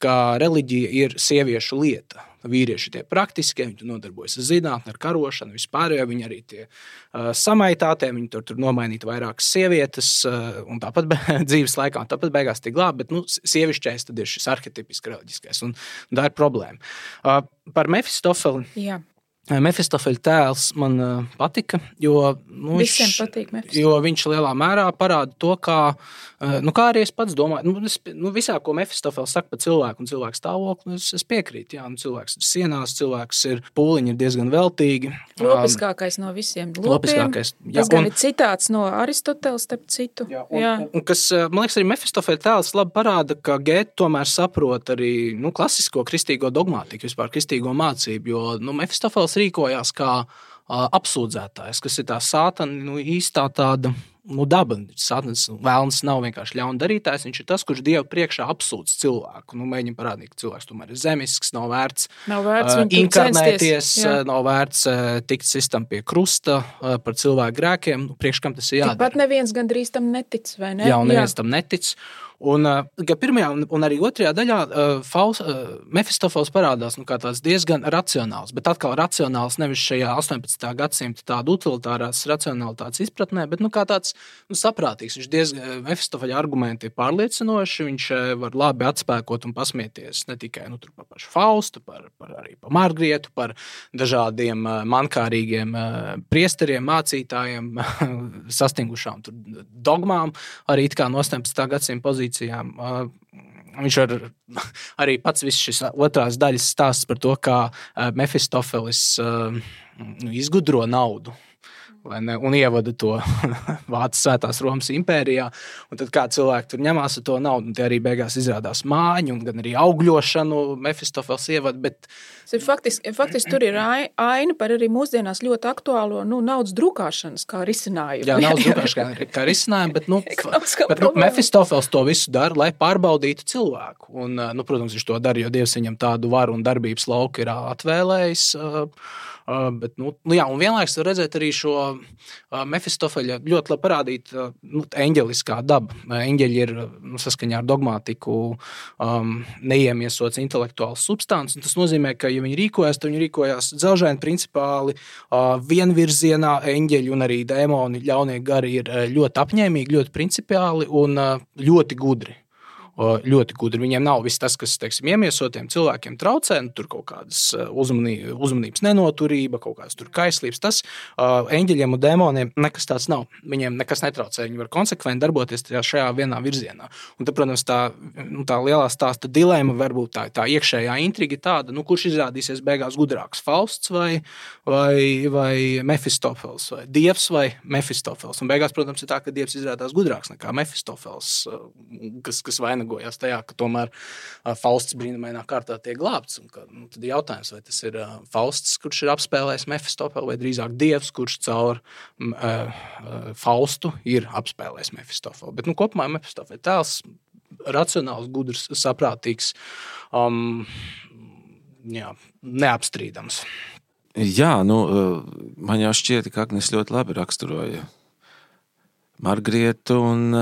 S2: ka reliģija ir sieviešu lieta. Vīrieši tie praktiskie, viņi tur nodarbojas ar zinātni, ar karošanu, vispār, jo viņi arī tie uh, samaitātie, viņi tur, tur nomainīt vairākas sievietes, uh, un tāpat be, dzīves laikā, un tāpat beigās tie glāb, bet, nu, sievišķais tad ir šis arhetipiski reliģiskais, un, un tā ir problēma. Uh, par Mefistofeli.
S1: Jā.
S2: Mefistofeļa tēls man uh, patika, jo, nu,
S1: Visiem
S2: viņš,
S1: patīk Mefistofeļs.
S2: Jo viņš lielā mērā parāda to, kā, uh, nu, kā arī es pats domāju, nu, es, nu, visā, ko Mefistofeļs saka par cilvēku un cilvēku stāvokli, es, es piekrītu, jā, nu, cilvēks ir sienās, cilvēks ir pūliņi, ir diezgan veltīgi.
S1: Lopiskākais no visiem lopiem.
S2: Lopiskākais, jā.
S1: Tas gan
S2: un,
S1: ir citāts no Aristoteles, starp citu.
S2: Jā, un,
S1: jā.
S2: Un, kas, man liekas, arī Mefistofeļa tēls labi parāda, ka Gēta tomēr saprot arī, nu, klasisko kristīgo dogmātiku, vispār kristīgo mācību, jo, nu, Mefistofeļs rīkojās kā apsūdzētājs, kas ir tā sātana, nu, īstā tāda, nu, daba. Sātans vēlns nav vienkārši ļaundarītājs, viņš ir tas, kurš Dievu priekšā apsūdz cilvēku. Nu, mēģina parādīt, ka cilvēks tomēr ir zemisks, nav vērts,
S1: nav vērts
S2: uh, inkarnēties,
S1: censties,
S2: nav vērts uh, tikt sistam pie krusta uh, par cilvēku grēkiem, nu, priekš kam tas ir jādara.
S1: Tikpat neviens gandrīz tam netic, vai ne?
S2: Jā, un neviens Jā. tam netic. Un, uh, pirmajā un, un arī otrajā daļā uh, Faust, uh, Mefistofels parādās nu, kā tāds diezgan racionāls, bet atkal racionāls nevis šajā astoņpadsmitā gadsimta tāda utilitārās racionalitātes izpratnē, bet nu, kā tāds nu, saprātīgs. Viņš diezgan, Mefistofeļa argumenti ir pārliecinoši, viņš uh, var labi atspēkot un pasmieties ne tikai nu, par pašu Faustu, par, par arī par Margarietu, par dažādiem uh, mankārīgiem uh, priesteriem, mācītājiem, sastingušām tur dogmām, arī it kā no astoņpadsmitā gadsimta pozīcijām. Viņš ar, arī pats viss šis otrās daļas stāsts par to, kā Mefistofelis izgudro naudu. Ne, un ievada to Vācijas Svētās Romas impērijā, un tad kā cilvēki tur ņemās ar to naudu, un tie arī beigās izrādās māņu, un gan arī augļošanu Mefistofels ievada, bet...
S1: Faktiski, faktiski tur ir aina par arī mūsdienās ļoti aktuālo nu, naudas drukāšanas kā risinājumu.
S2: Jā, naudas drukāšanas kā, kā risinājumu, bet, nu, bet nu, Mefistofels to visu dara, lai pārbaudītu cilvēku. Un, nu, protams, viņš to dara, jo Dievs viņam tādu varu un darbības lauku ir atvēlējis, Uh, bet, nu, jā, un vienlaiks var redzēt arī šo uh, Mefistofeļa ļoti labi parādīt uh, nu, eņģeliskā daba. Eņģeļi ir nu, saskaņā ar dogmātiku um, neiemiesots intelektuāls substants, un tas nozīmē, ka, ja viņi rīkojas, tad viņi rīkojās dzelžaini principāli, uh, vienvirzienā eņģeļi un arī dēmoni, ļaunie gari ir uh, ļoti apņēmīgi, ļoti principiāli un uh, ļoti gudri. Ļoti gudri. Viņiem nav viss tas, kas, teiksim, iemiesotiem cilvēkiem traucē, nu, tur kaut kādas uzmanī, uzmanības nenoturība, kaut kādas tur kaislības. Tas uh, eņģeļiem un dēmoniem nekas tāds nav. Viņiem nekas netraucē. Viņi var konsekventi darboties šajā vienā virzienā. Un tad, protams, tā, nu, tā lielā stāsta dilēma, varbūt tā, tā iekšējā intriga tāda, nu, kurš izrādīsies beigās gudrāks, Fausts vai, vai, vai Mefistofels, vai Dievs vai Mefistofels. Un beigās, protams, ir tā, ka Dievs izrādās gudrāks nekā Mefistofels, kas, kas vainagojās tajā, ka tomēr uh, Fausts brīnumainā kārtā tiek glābts. Un, ka, nu, tad ir jautājums, vai tas ir uh, Fausts, kurš ir apspēlējis Mefistofelu, vai drīzāk Dievs, kurš caur uh, uh, Faustu ir apspēlējis Mefistofelu. Bet nu, kopumā Mefistofela tēls racionāls, gudrs, saprātīgs, um, jā, neapstrīdams.
S3: Jā, nu, man jau šķiet, ka Agnes ļoti labi raksturoja Margarietu un...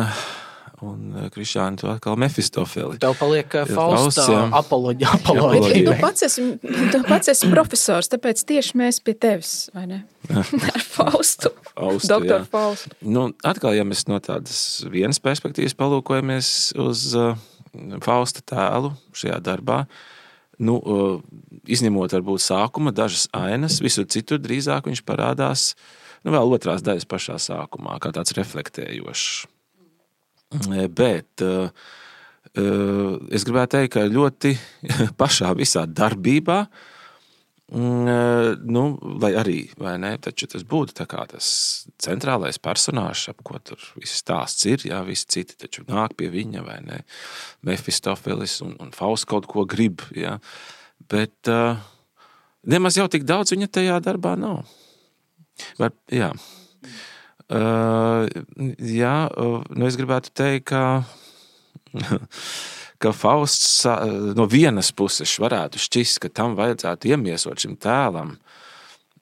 S3: un Krišāni to atkal Mefistofeli.
S2: Tev paliek Fausta apoloģija. apoloģija.
S1: Tu pats esi, tu pats esi profesors, tāpēc tieši mēs pie tevis, vai ne? Ar Faustu. Faustu Doktor jā. Faustu.
S3: Nu, atkal, ja mēs no tādas vienas perspektīvas palūkojamies uz uh, Fausta tēlu šajā darbā, nu, uh, izņemot varbūt sākuma dažas ainas, visur citur drīzāk viņš parādās, nu, vēl otrās daļas pašā sākumā, kā tāds reflektējošs. Bet uh, uh, es gribētu teikt, ka ļoti pašā visā darbībā, uh, nu, lai arī, vai ne, taču tas būtu tā kā tas centrālais personāžs, ap ko tur viss stāsts ir, jā, visi citi taču nāk pie viņa, vai ne, Mefistofelis un, un Fausts kaut ko grib, jā, bet uh, nemaz jau tik daudz viņa tajā darbā nav. Var, jā. Uh, jā, uh, nu es gribētu teikt, ka, ka Fausts no vienas puses varētu šķist, ka tam vajadzētu iemiesot šim tēlam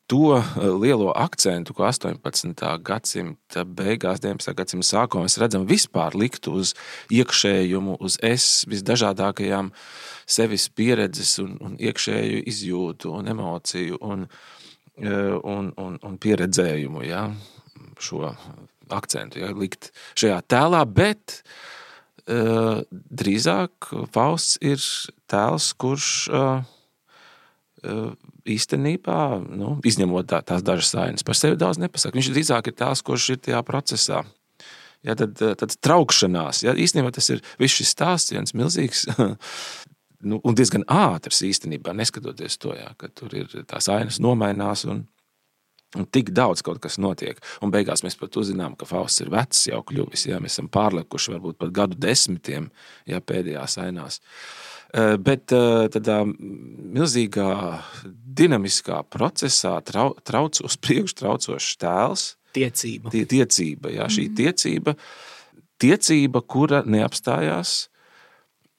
S3: to lielo akcentu, ko astoņpadsmitā gadsimta beigās, deviņpadsmitā gadsimta sākumā mēs redzam vispār likt uz iekšējumu, uz es visdažādākajām sevis pieredzes un, un iekšēju izjūtu un emociju un, un, un, un pieredzējumu, ja, šo akcentu, ja, likt šajā tēlā, bet uh, drīzāk Fausts ir tēls, kurš uh, uh, īstenībā, nu, izņemot tā, tās dažas sainas, par sevi daudz nepasaka. Viņš drīzāk ir tās, kurš ir tajā procesā. Ja, tad, tad traukšanās. Ja, īstenībā tas ir viss šis stāsts, viens milzīgs nu, un diezgan ātrs īstenībā, neskatoties to, ja, ka tur ir tās ainas nomainās un, un tik daudz kaut kas notiek. Un beigās mēs pat uzzinām, ka Fausts ir vecs jau kļuvis. Ja, mēs esam pārlekuši varbūt pat gadu desmitiem, ja, pēdējās ainās. Bet tādā milzīgā dinamiskā procesā trau, trauc uz priekšu traucošs tēls.
S2: Tiecība.
S3: Tie, tiecība, jā, šī tiecība, tiecība, kura neapstājās,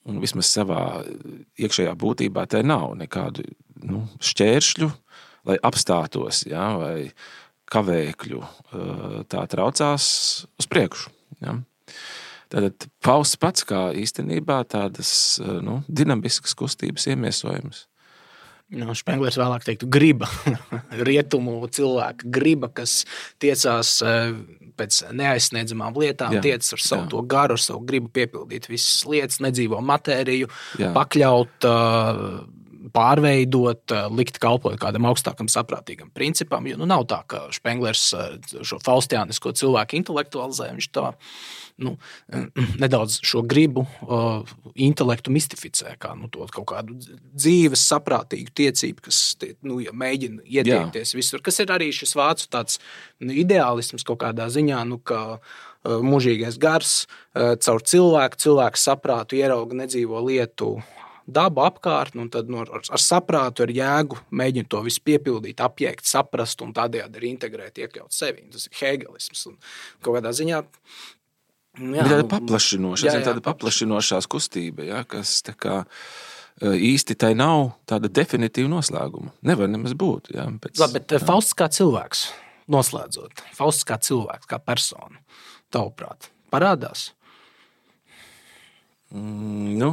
S3: un vismaz savā iekšējā būtībā tai nav nekādu nu, šķēršļu, lai apstātos, jā, vai kavēkļu, tā traucās uz priekšu. Jā. Tātad Fausts pats kā īstenībā tādas nu, dinamiskas kustības iemiesojums.
S2: No, Špenglers vēlāk teiktu griba, rietumu cilvēka griba, kas tiecās pēc neaizsniedzamām lietām, jā, tiecas ar savu jā. To garu, ar savu gribu piepildīt visas lietas, nedzīvo matēriju, jā. Pakļaut, pārveidot, likt kalpot kādam augstākam saprātīgam principam, jo nu nav tā, ka Špenglers šo faustiānisko cilvēku intelektualizē, viņš tā nu, nedaudz šo gribu uh, intelektu mistificē, kā nu, to kaut kādu dzīves saprātīgu tiecību, kas tie, nu, ja mēģina ietiekties Jā. Visur, kas ir arī šis vācu tāds nu, ideālisms kaut kādā ziņā, nu, ka uh, mūžīgais gars uh, caur cilvēku, cilvēku saprātu ierauga nedzīvo lietu dabu apkārt, un tad no, ar, ar saprātu, ar jēgu mēģina to visu piepildīt, apjēgt, saprast un tādējādi arī integrēt, iekļaut sevi. Tas ir hegelisms un kaut kādā ziņā Jā,
S3: tāda paplašinoša, jā, jā, tāda paplašinošās kustība, ja, kas tā kā īsti tai nav tāda definitīva noslēguma. Nevar nemaz būt. Ja, pēc,
S2: Labi, bet jā. Fausts kā cilvēks, noslēdzot, Fausts kā cilvēks, kā persona, tavuprāt, parādās?
S3: Mm, nu,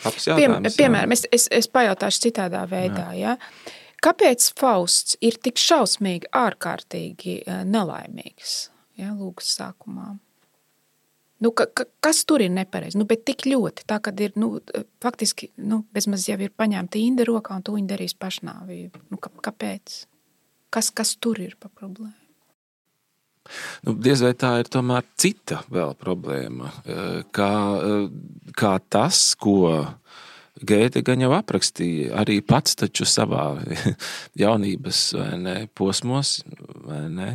S3: labs jautājums.
S1: Piem, piemēram, es, es, es pajautāšu citādā veidā, jā. Ja? Kāpēc Fausts ir tik šausmīgi, ārkārtīgi nelaimīgs, ja, lūgas sākumā? Nu, ka, ka, kas tur ir nepareizi? Nu, bet tik ļoti, tā, kad ir, nu, faktiski, nu, bezmaz jau ir paņemta Inde rokā un tu viņi darīs pašnāvību. Nu, ka, kāpēc? Kas, kas tur ir pa problēmu?
S3: Nu, diez vai tā ir tomēr cita vēl problēma, kā, kā tas, ko Gēte gan jau aprakstīja, arī pats taču savā jaunības vai ne, posmos, vai ne,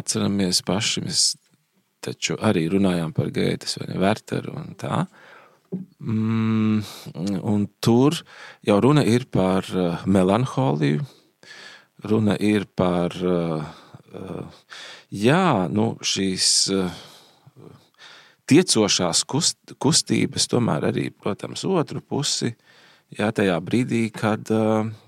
S3: atceramies paši, mēs taču arī runājām par Gētes vai ne, Werteru un tā. Mm, un tur jau runa ir par melanholiju, runa ir par, jā, nu, šīs tiecošās kust, kustības, tomēr arī, protams, otru pusi, jā, tajā brīdī, kad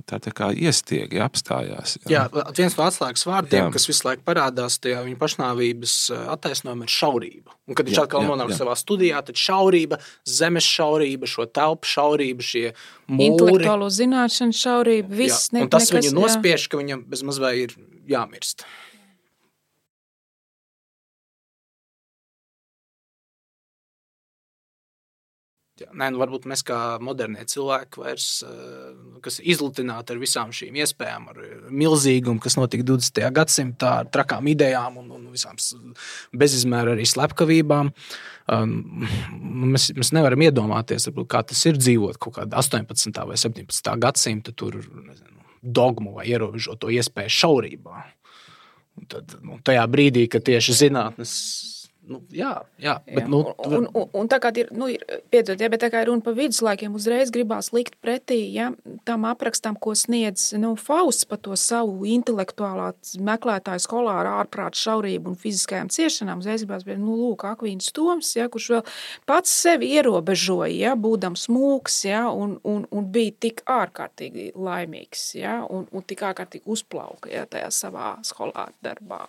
S3: tā tā kā iestiegi apstājās.
S2: Jā, jā viens no atslēgas vārdiem, jā. Kas visu laiku parādās tajā viņa pašnāvības attaisnojuma ir šaurība. Un kad viņš jā, atkal nonāk savā studijā, tad šaurība, zemes šaurība, šo telpu šaurība, šie mūri.
S1: Intelektuālo zināšanu šaurība, viss.
S2: Ne, un tas nekas, viņu nospiež, ka viņam bez maz vai ir jāmirst. Jā, nē, nu varbūt mēs kā modernie cilvēki vairs, kas ir izlutināti ar visām šīm iespējām, ar milzīgumu, kas notika dvidesmitajā gadsimtā, ar trakām idejām un, un visām bezizmēra arī slepkavībām. Mēs, mēs nevaram iedomāties, varbūt, kā tas ir dzīvot kaut kādā astoņpadsmitā vai septiņpadsmitā gadsimta tur, nezinu, dogmu vai ierobežoto iespēju šaurībā. Un tad, nu, tajā brīdī, kad tieši zinātnes Nu, jā, jā, bet, jā. Nu,
S1: un, un, un tā kā ir, nu, ir piedzot, ja, bet tā kā ir runa par viduslaikiem, uzreiz gribās likt pretī, ja, tam aprakstam, ko sniedz, nu, Fausts par to savu intelektuālā meklētāju skolāru ārprāt šaurību un fiziskajām ciešanām, uzreiz gribās, bet, nu, lūk, Akvīns Toms, ja, kurš vēl pats sevi ierobežoja, ja, būdams mūks, ja, un, un, un bija tik ārkārtīgi laimīgs, ja, un, un tik ārkārtīgi uzplauka, ja, tajā savā skolāru darbā.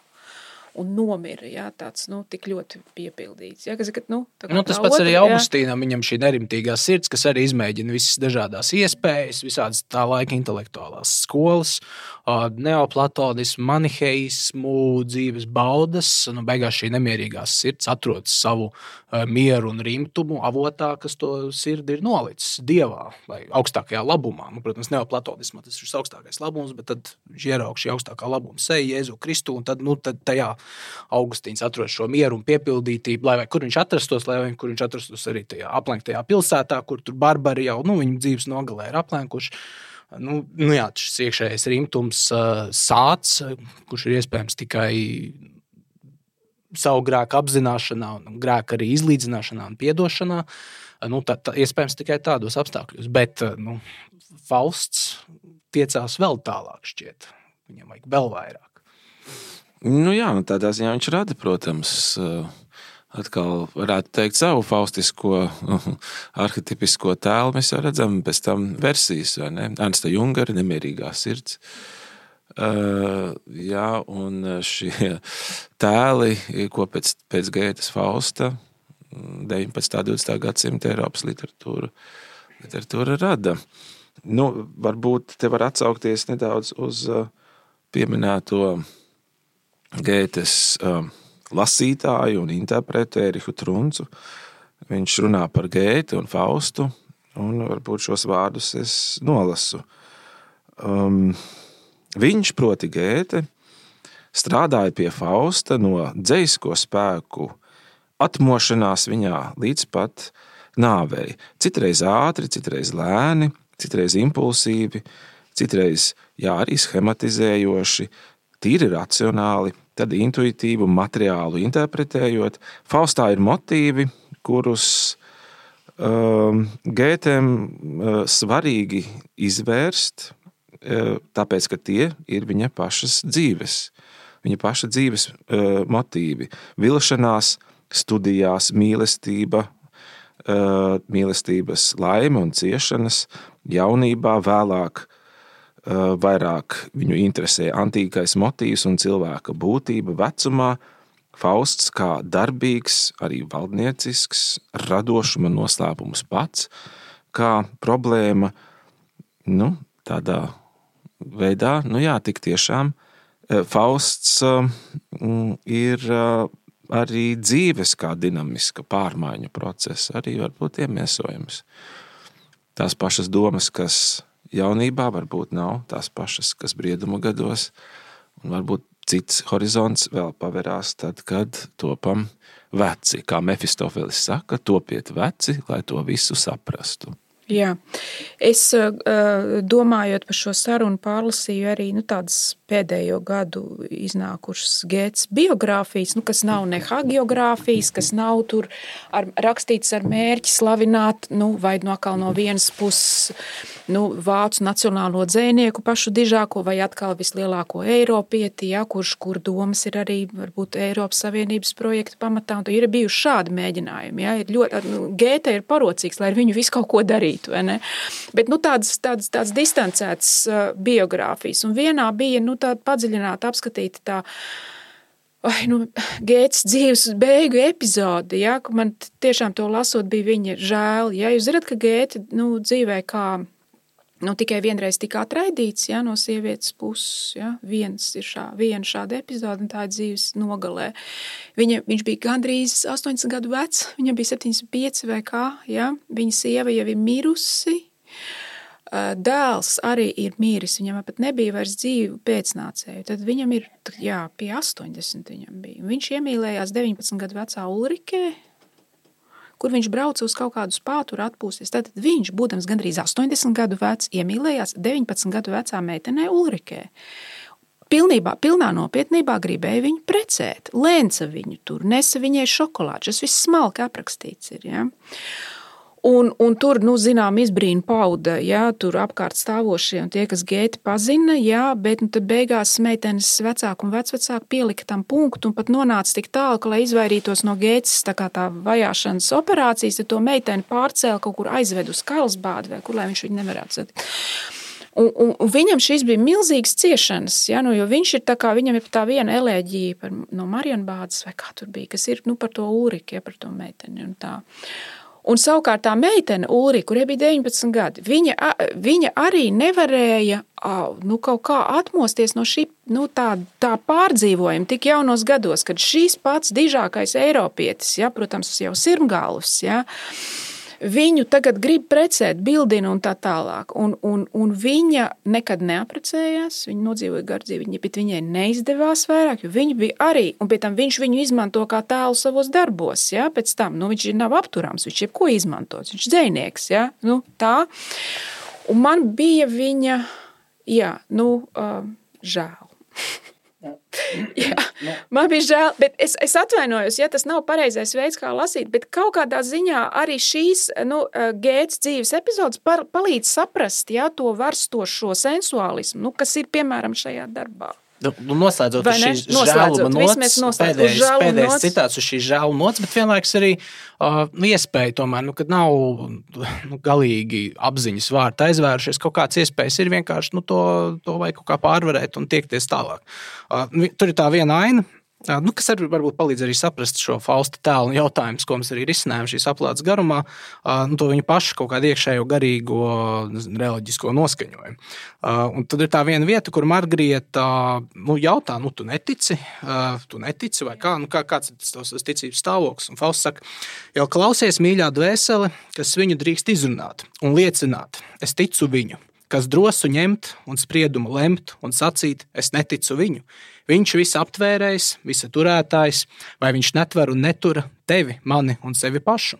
S1: Un nomira, jā, tāds, nu, tik ļoti piepildīts. Jā, kas, nu,
S2: nu, tas pats otra, arī Augustīnam, viņam šī nerimtīgā sirds, kas arī izmēģina visas dažādās iespējas, visādas tā laika intelektuālās skolas, neoplatonismu, maniheismu, dzīves baudas, nu, beigās šī nemierīgās sirds atrod savu mieru un rimtumu avotā, kas to sirdi ir nolicis dievā vai augstākajā labumā. Nu, protams, neoplatonismā tas ir augstākais labums, bet tad viņš ieraug šī augstākā labuma seju Jēzu Kristu, un tad, nu, tad tajā Augustīns atrod šo mieru un piepildītību, lai vai kur viņš atrastos, lai vai kur viņš atrastos arī tajā aplenktajā pilsētā, kur tur barbari jau, nu, viņu dzīves nogalē ir aplenkuši. Nu, nu jā, šis iekšējais rimtums uh, sāc, kurš ir iespējams tikai savu grēku apzināšanā un grēku arī izlīdzināšanā un piedošanā, nu, tā, tā, iespējams tikai tādos apstākļos. Bet, nu, Fausts tiecās vēl tālāk šķiet. Viņam vajag vēl vairāk.
S3: Nu jā, tādā ziņā viņš rada, protams, atkal varētu teikt savu faustisko, arhetipisko tēlu. Mēs jau redzam pēc tam versijas, vai ne? Ernsta Jungara, nemierīgā sirds. Uh, jā, un šie tēli, ko pēc, pēc Gētas Fausta deviņpadsmitā un divdesmitā gadsimta Eiropas literatūra, literatūra rada. Nu, varbūt te var atsaukties nedaudz uz uh, pieminēto Gētes uh, lasītāju un interpretu Ērihu Truncu. Viņš runā par Gēti un Faustu, un varbūt šos vārdus es nolasu. Um, viņš, proti Gēte, strādāja pie Fausta no dzejisko spēku atmošanās viņā līdz pat nāvei. Citreiz ātri, citreiz lēni, citreiz impulsīvi, citreiz, jā, arī schematizējoši, tīri racionāli, tad intuitīvu un materiālu interpretējot. Faustā ir motīvi, kurus um, Gētēm uh, svarīgi izvērst, uh, tāpēc, ka tie ir viņa pašas dzīves, viņa paša dzīves uh, motīvi. Vilšanās, studijās, mīlestība, uh, mīlestības laime un ciešanas, jaunībā, vēlāk vairāk viņu interesē antīkais motīvs un cilvēka būtība vecumā, Fausts kā darbīgs, arī valdniecisks, radošuma noslēpums pats, kā problēma, nu, tādā veidā, nu jā, tik tiešām, Fausts ir arī dzīves kā dinamiska pārmaiņu procesa, arī varbūt iemiesojums. Tās pašas domas, kas jaunībā varbūt nav tās pašas, kas brieduma gados, un varbūt cits horizonts vēl paverās tad, kad topam veci. Kā Mefistofelis saka, topiet veci, lai to visu saprastu.
S1: Jā, es domājot par šo sarunu pārlasīju arī nu, tādas pēdējo gadu iznākušas Gētas biogrāfijas, nu, kas nav ne hagiogrāfijas, kas nav tur ar, rakstīts ar mērķi slavināt, nu, vai no atkal no vienas puses nu, vācu nacionālo dzejnieku pašu dižāko, vai atkal vislielāko eiropieti, ja, kurš, kur domas ir arī varbūt Eiropas Savienības projekta pamatā, un ir bijuši šādi mēģinājumi. Ja, ir ļoti, nu, Gēta ir parocīgs, lai ar viņu visu kaut ko darītu. Vai ne? Bet nu, tādas, tādas, tādas distancētas uh, biogrāfijas. Un vienā bija nu, tāda padziļināta apskatīta tā vai, nu, Gētas dzīves beigu epizode, ja, ka man tiešām to lasot bija viņa žēl. Ja. Jūs zināt, ka Gēta nu, dzīvē kā nu, tikai vienreiz tika atraidīts ja, no sievietes puses. Ja. Viens ir šā, viena šāda epizode, un tā ir dzīves nogalē. Viņa, viņš bija gandrīz astoņdesmit gadu vecs, viņam bija septiņdesmit pieci vai kā. Ja. Viņa sieva jau ir mirusi. Dēls arī ir miris, viņam pat nebija vairs dzīvu pēcnācēju. Tad viņam ir, jā, pie astoņdesmit viņam bija. Viņš iemīlējās deviņpadsmit gadu vecā Ulrikē, kur viņš brauca uz kaut kādu spāturu atpūsties. Tad viņš, būdams gandrīz astoņdesmit gadu vecs, iemīlējās deviņpadsmit gadu vecā meitenē Ulrikē. pilnībā, pilnā nopietnībā gribēja viņu precēt. Lēnca viņu tur, nesa viņai šokolādi. Tas viss smalki aprakstīts ir, ja. Un, un tur, nu, zinām, izbrīna pauda, jā, tur apkārt stāvošie un tie, kas Gēti pazina, jā, bet nu, tad beigās meitenes vecāku un vecvecāku pielika tam punktu un pat nonāca tik tālu, ka, lai izvairītos no Gētas tā kā tā vajāšanas operācijas, tad to meiteni pārcēla kaut kur aizved uz Karlsbādi vai kur, lai viņš viņu nevarētu satikt. Un, un, un viņam šīs bija milzīgas ciešanas, ja, nu, jo viņš ir tā kā, viņam ir tā viena elēģija par, no Marienbādes vai kā tur bija, kas ir nu, par to Ulriku, ja, par to meiteni un tā. Un savukārt tā meitene Ulrika, kurai bija deviņpadsmit gadi, viņa, viņa arī nevarēja nu, kaut kā atmosties no šī nu, tā, tā pārdzīvojuma tik jaunos gados, kad šīs pats dižākais eiropietis, ja, protams, jau sirmgalvs, ja, viņu tagad grib precēt, bildina un tā tālāk. Un, un, un viņa nekad neaprecējās, viņa nodzīvoja gardzīvi, bet viņai neizdevās vairāk, jo viņa bija arī, un pie tam viņš viņu izmanto kā tēlu savos darbos, ja, pēc tam, nu, viņš nav apturams, viņš jebko izmantots, viņš dzejnieks, ja, nu, tā. Un man bija viņa, jā, nu, uh, žēl. Jā, man bija žēl, bet es, es atvainojos, ja tas nav pareizais veids, kā lasīt, bet kaut kādā ziņā arī šīs nu, Gētas dzīves epizodes par, palīdz saprast, ja, to varstošo sensuālismu, nu, kas ir, piemēram, šajā darbā.
S2: Nu, noslēdzot uz šīs žēluma nots, pēdējais, pēdējais citāts uz šīs žēluma nots, bet vienlaiks arī uh, iespēja tomēr, nu, kad nav nu, galīgi apziņas vārti aizvērušies, kaut kāds iespējas ir vienkārši nu, to, to vajag kaut kā pārvarēt un tiekties tālāk. Uh, tur ir tā viena aina, uh, nu, kas arī varbūt palīdz arī saprast šo Fausta tēlu un jautājumus, ko mēs arī risinājām šīs aplādes garumā, uh, nu, to viņu pašu kaut kādu iekšējo garīgo reliģisko noskaņojumu. Uh, un tad ir tā viena vieta, kur Margrieta nu, jautā, nu, tu netici, uh, tu netici vai kā, nu, kā kāds ir tas ticības stāvoklis. Un Fausts saka, jau klausies mīļā dvēsele, kas viņu drīkst izrunāt un liecināt, es ticu viņu, kas drosu ņemt un spriedumu lemt un sacīt, es neticu viņu. Viņš visu aptvērējs, visa turētājs, vai viņš netver un netura tevi, mani un sevi pašu?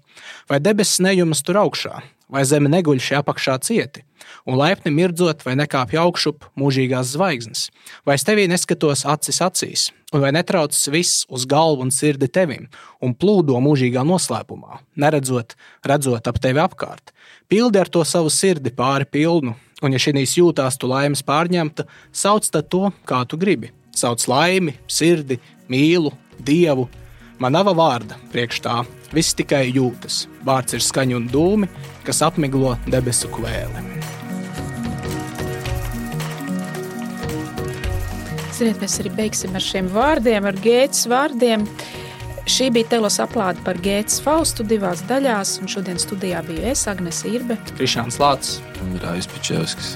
S2: Vai debesis nejumas tur augšā, vai zeme neguļ šī apakšā cieti? Un laipni mirdzot vai nekāpj augšup mūžīgās zvaigznes? Vai es tevī neskatos acis acīs? Un vai netraucas viss uz galvu un sirdi tevim? Un plūdo mūžīgā noslēpumā, neredzot, redzot ap tevi apkārt? Pildi ar to savu sirdi pāri pilnu, un ja šinīs jūtās tu laimes pārņemta, sauc tad to, kā tu gribi. Sauc laimi, sirdi, mīlu, dievu. Man nav vārda priekš tā, viss tikai jūtas. Vārds ir skaņa un dūmi, kas apmiglo debesu kvēli.
S1: Ziniet, mēs arī beigsim ar šiem vārdiem, ar Gētas vārdiem. Šī bija telos aplāde par Gētas Faustu divās daļās, un šodien studijā biju es, Agnese Irbe.
S2: Krišāns Lācis.
S3: Un Rājs Pičevskis.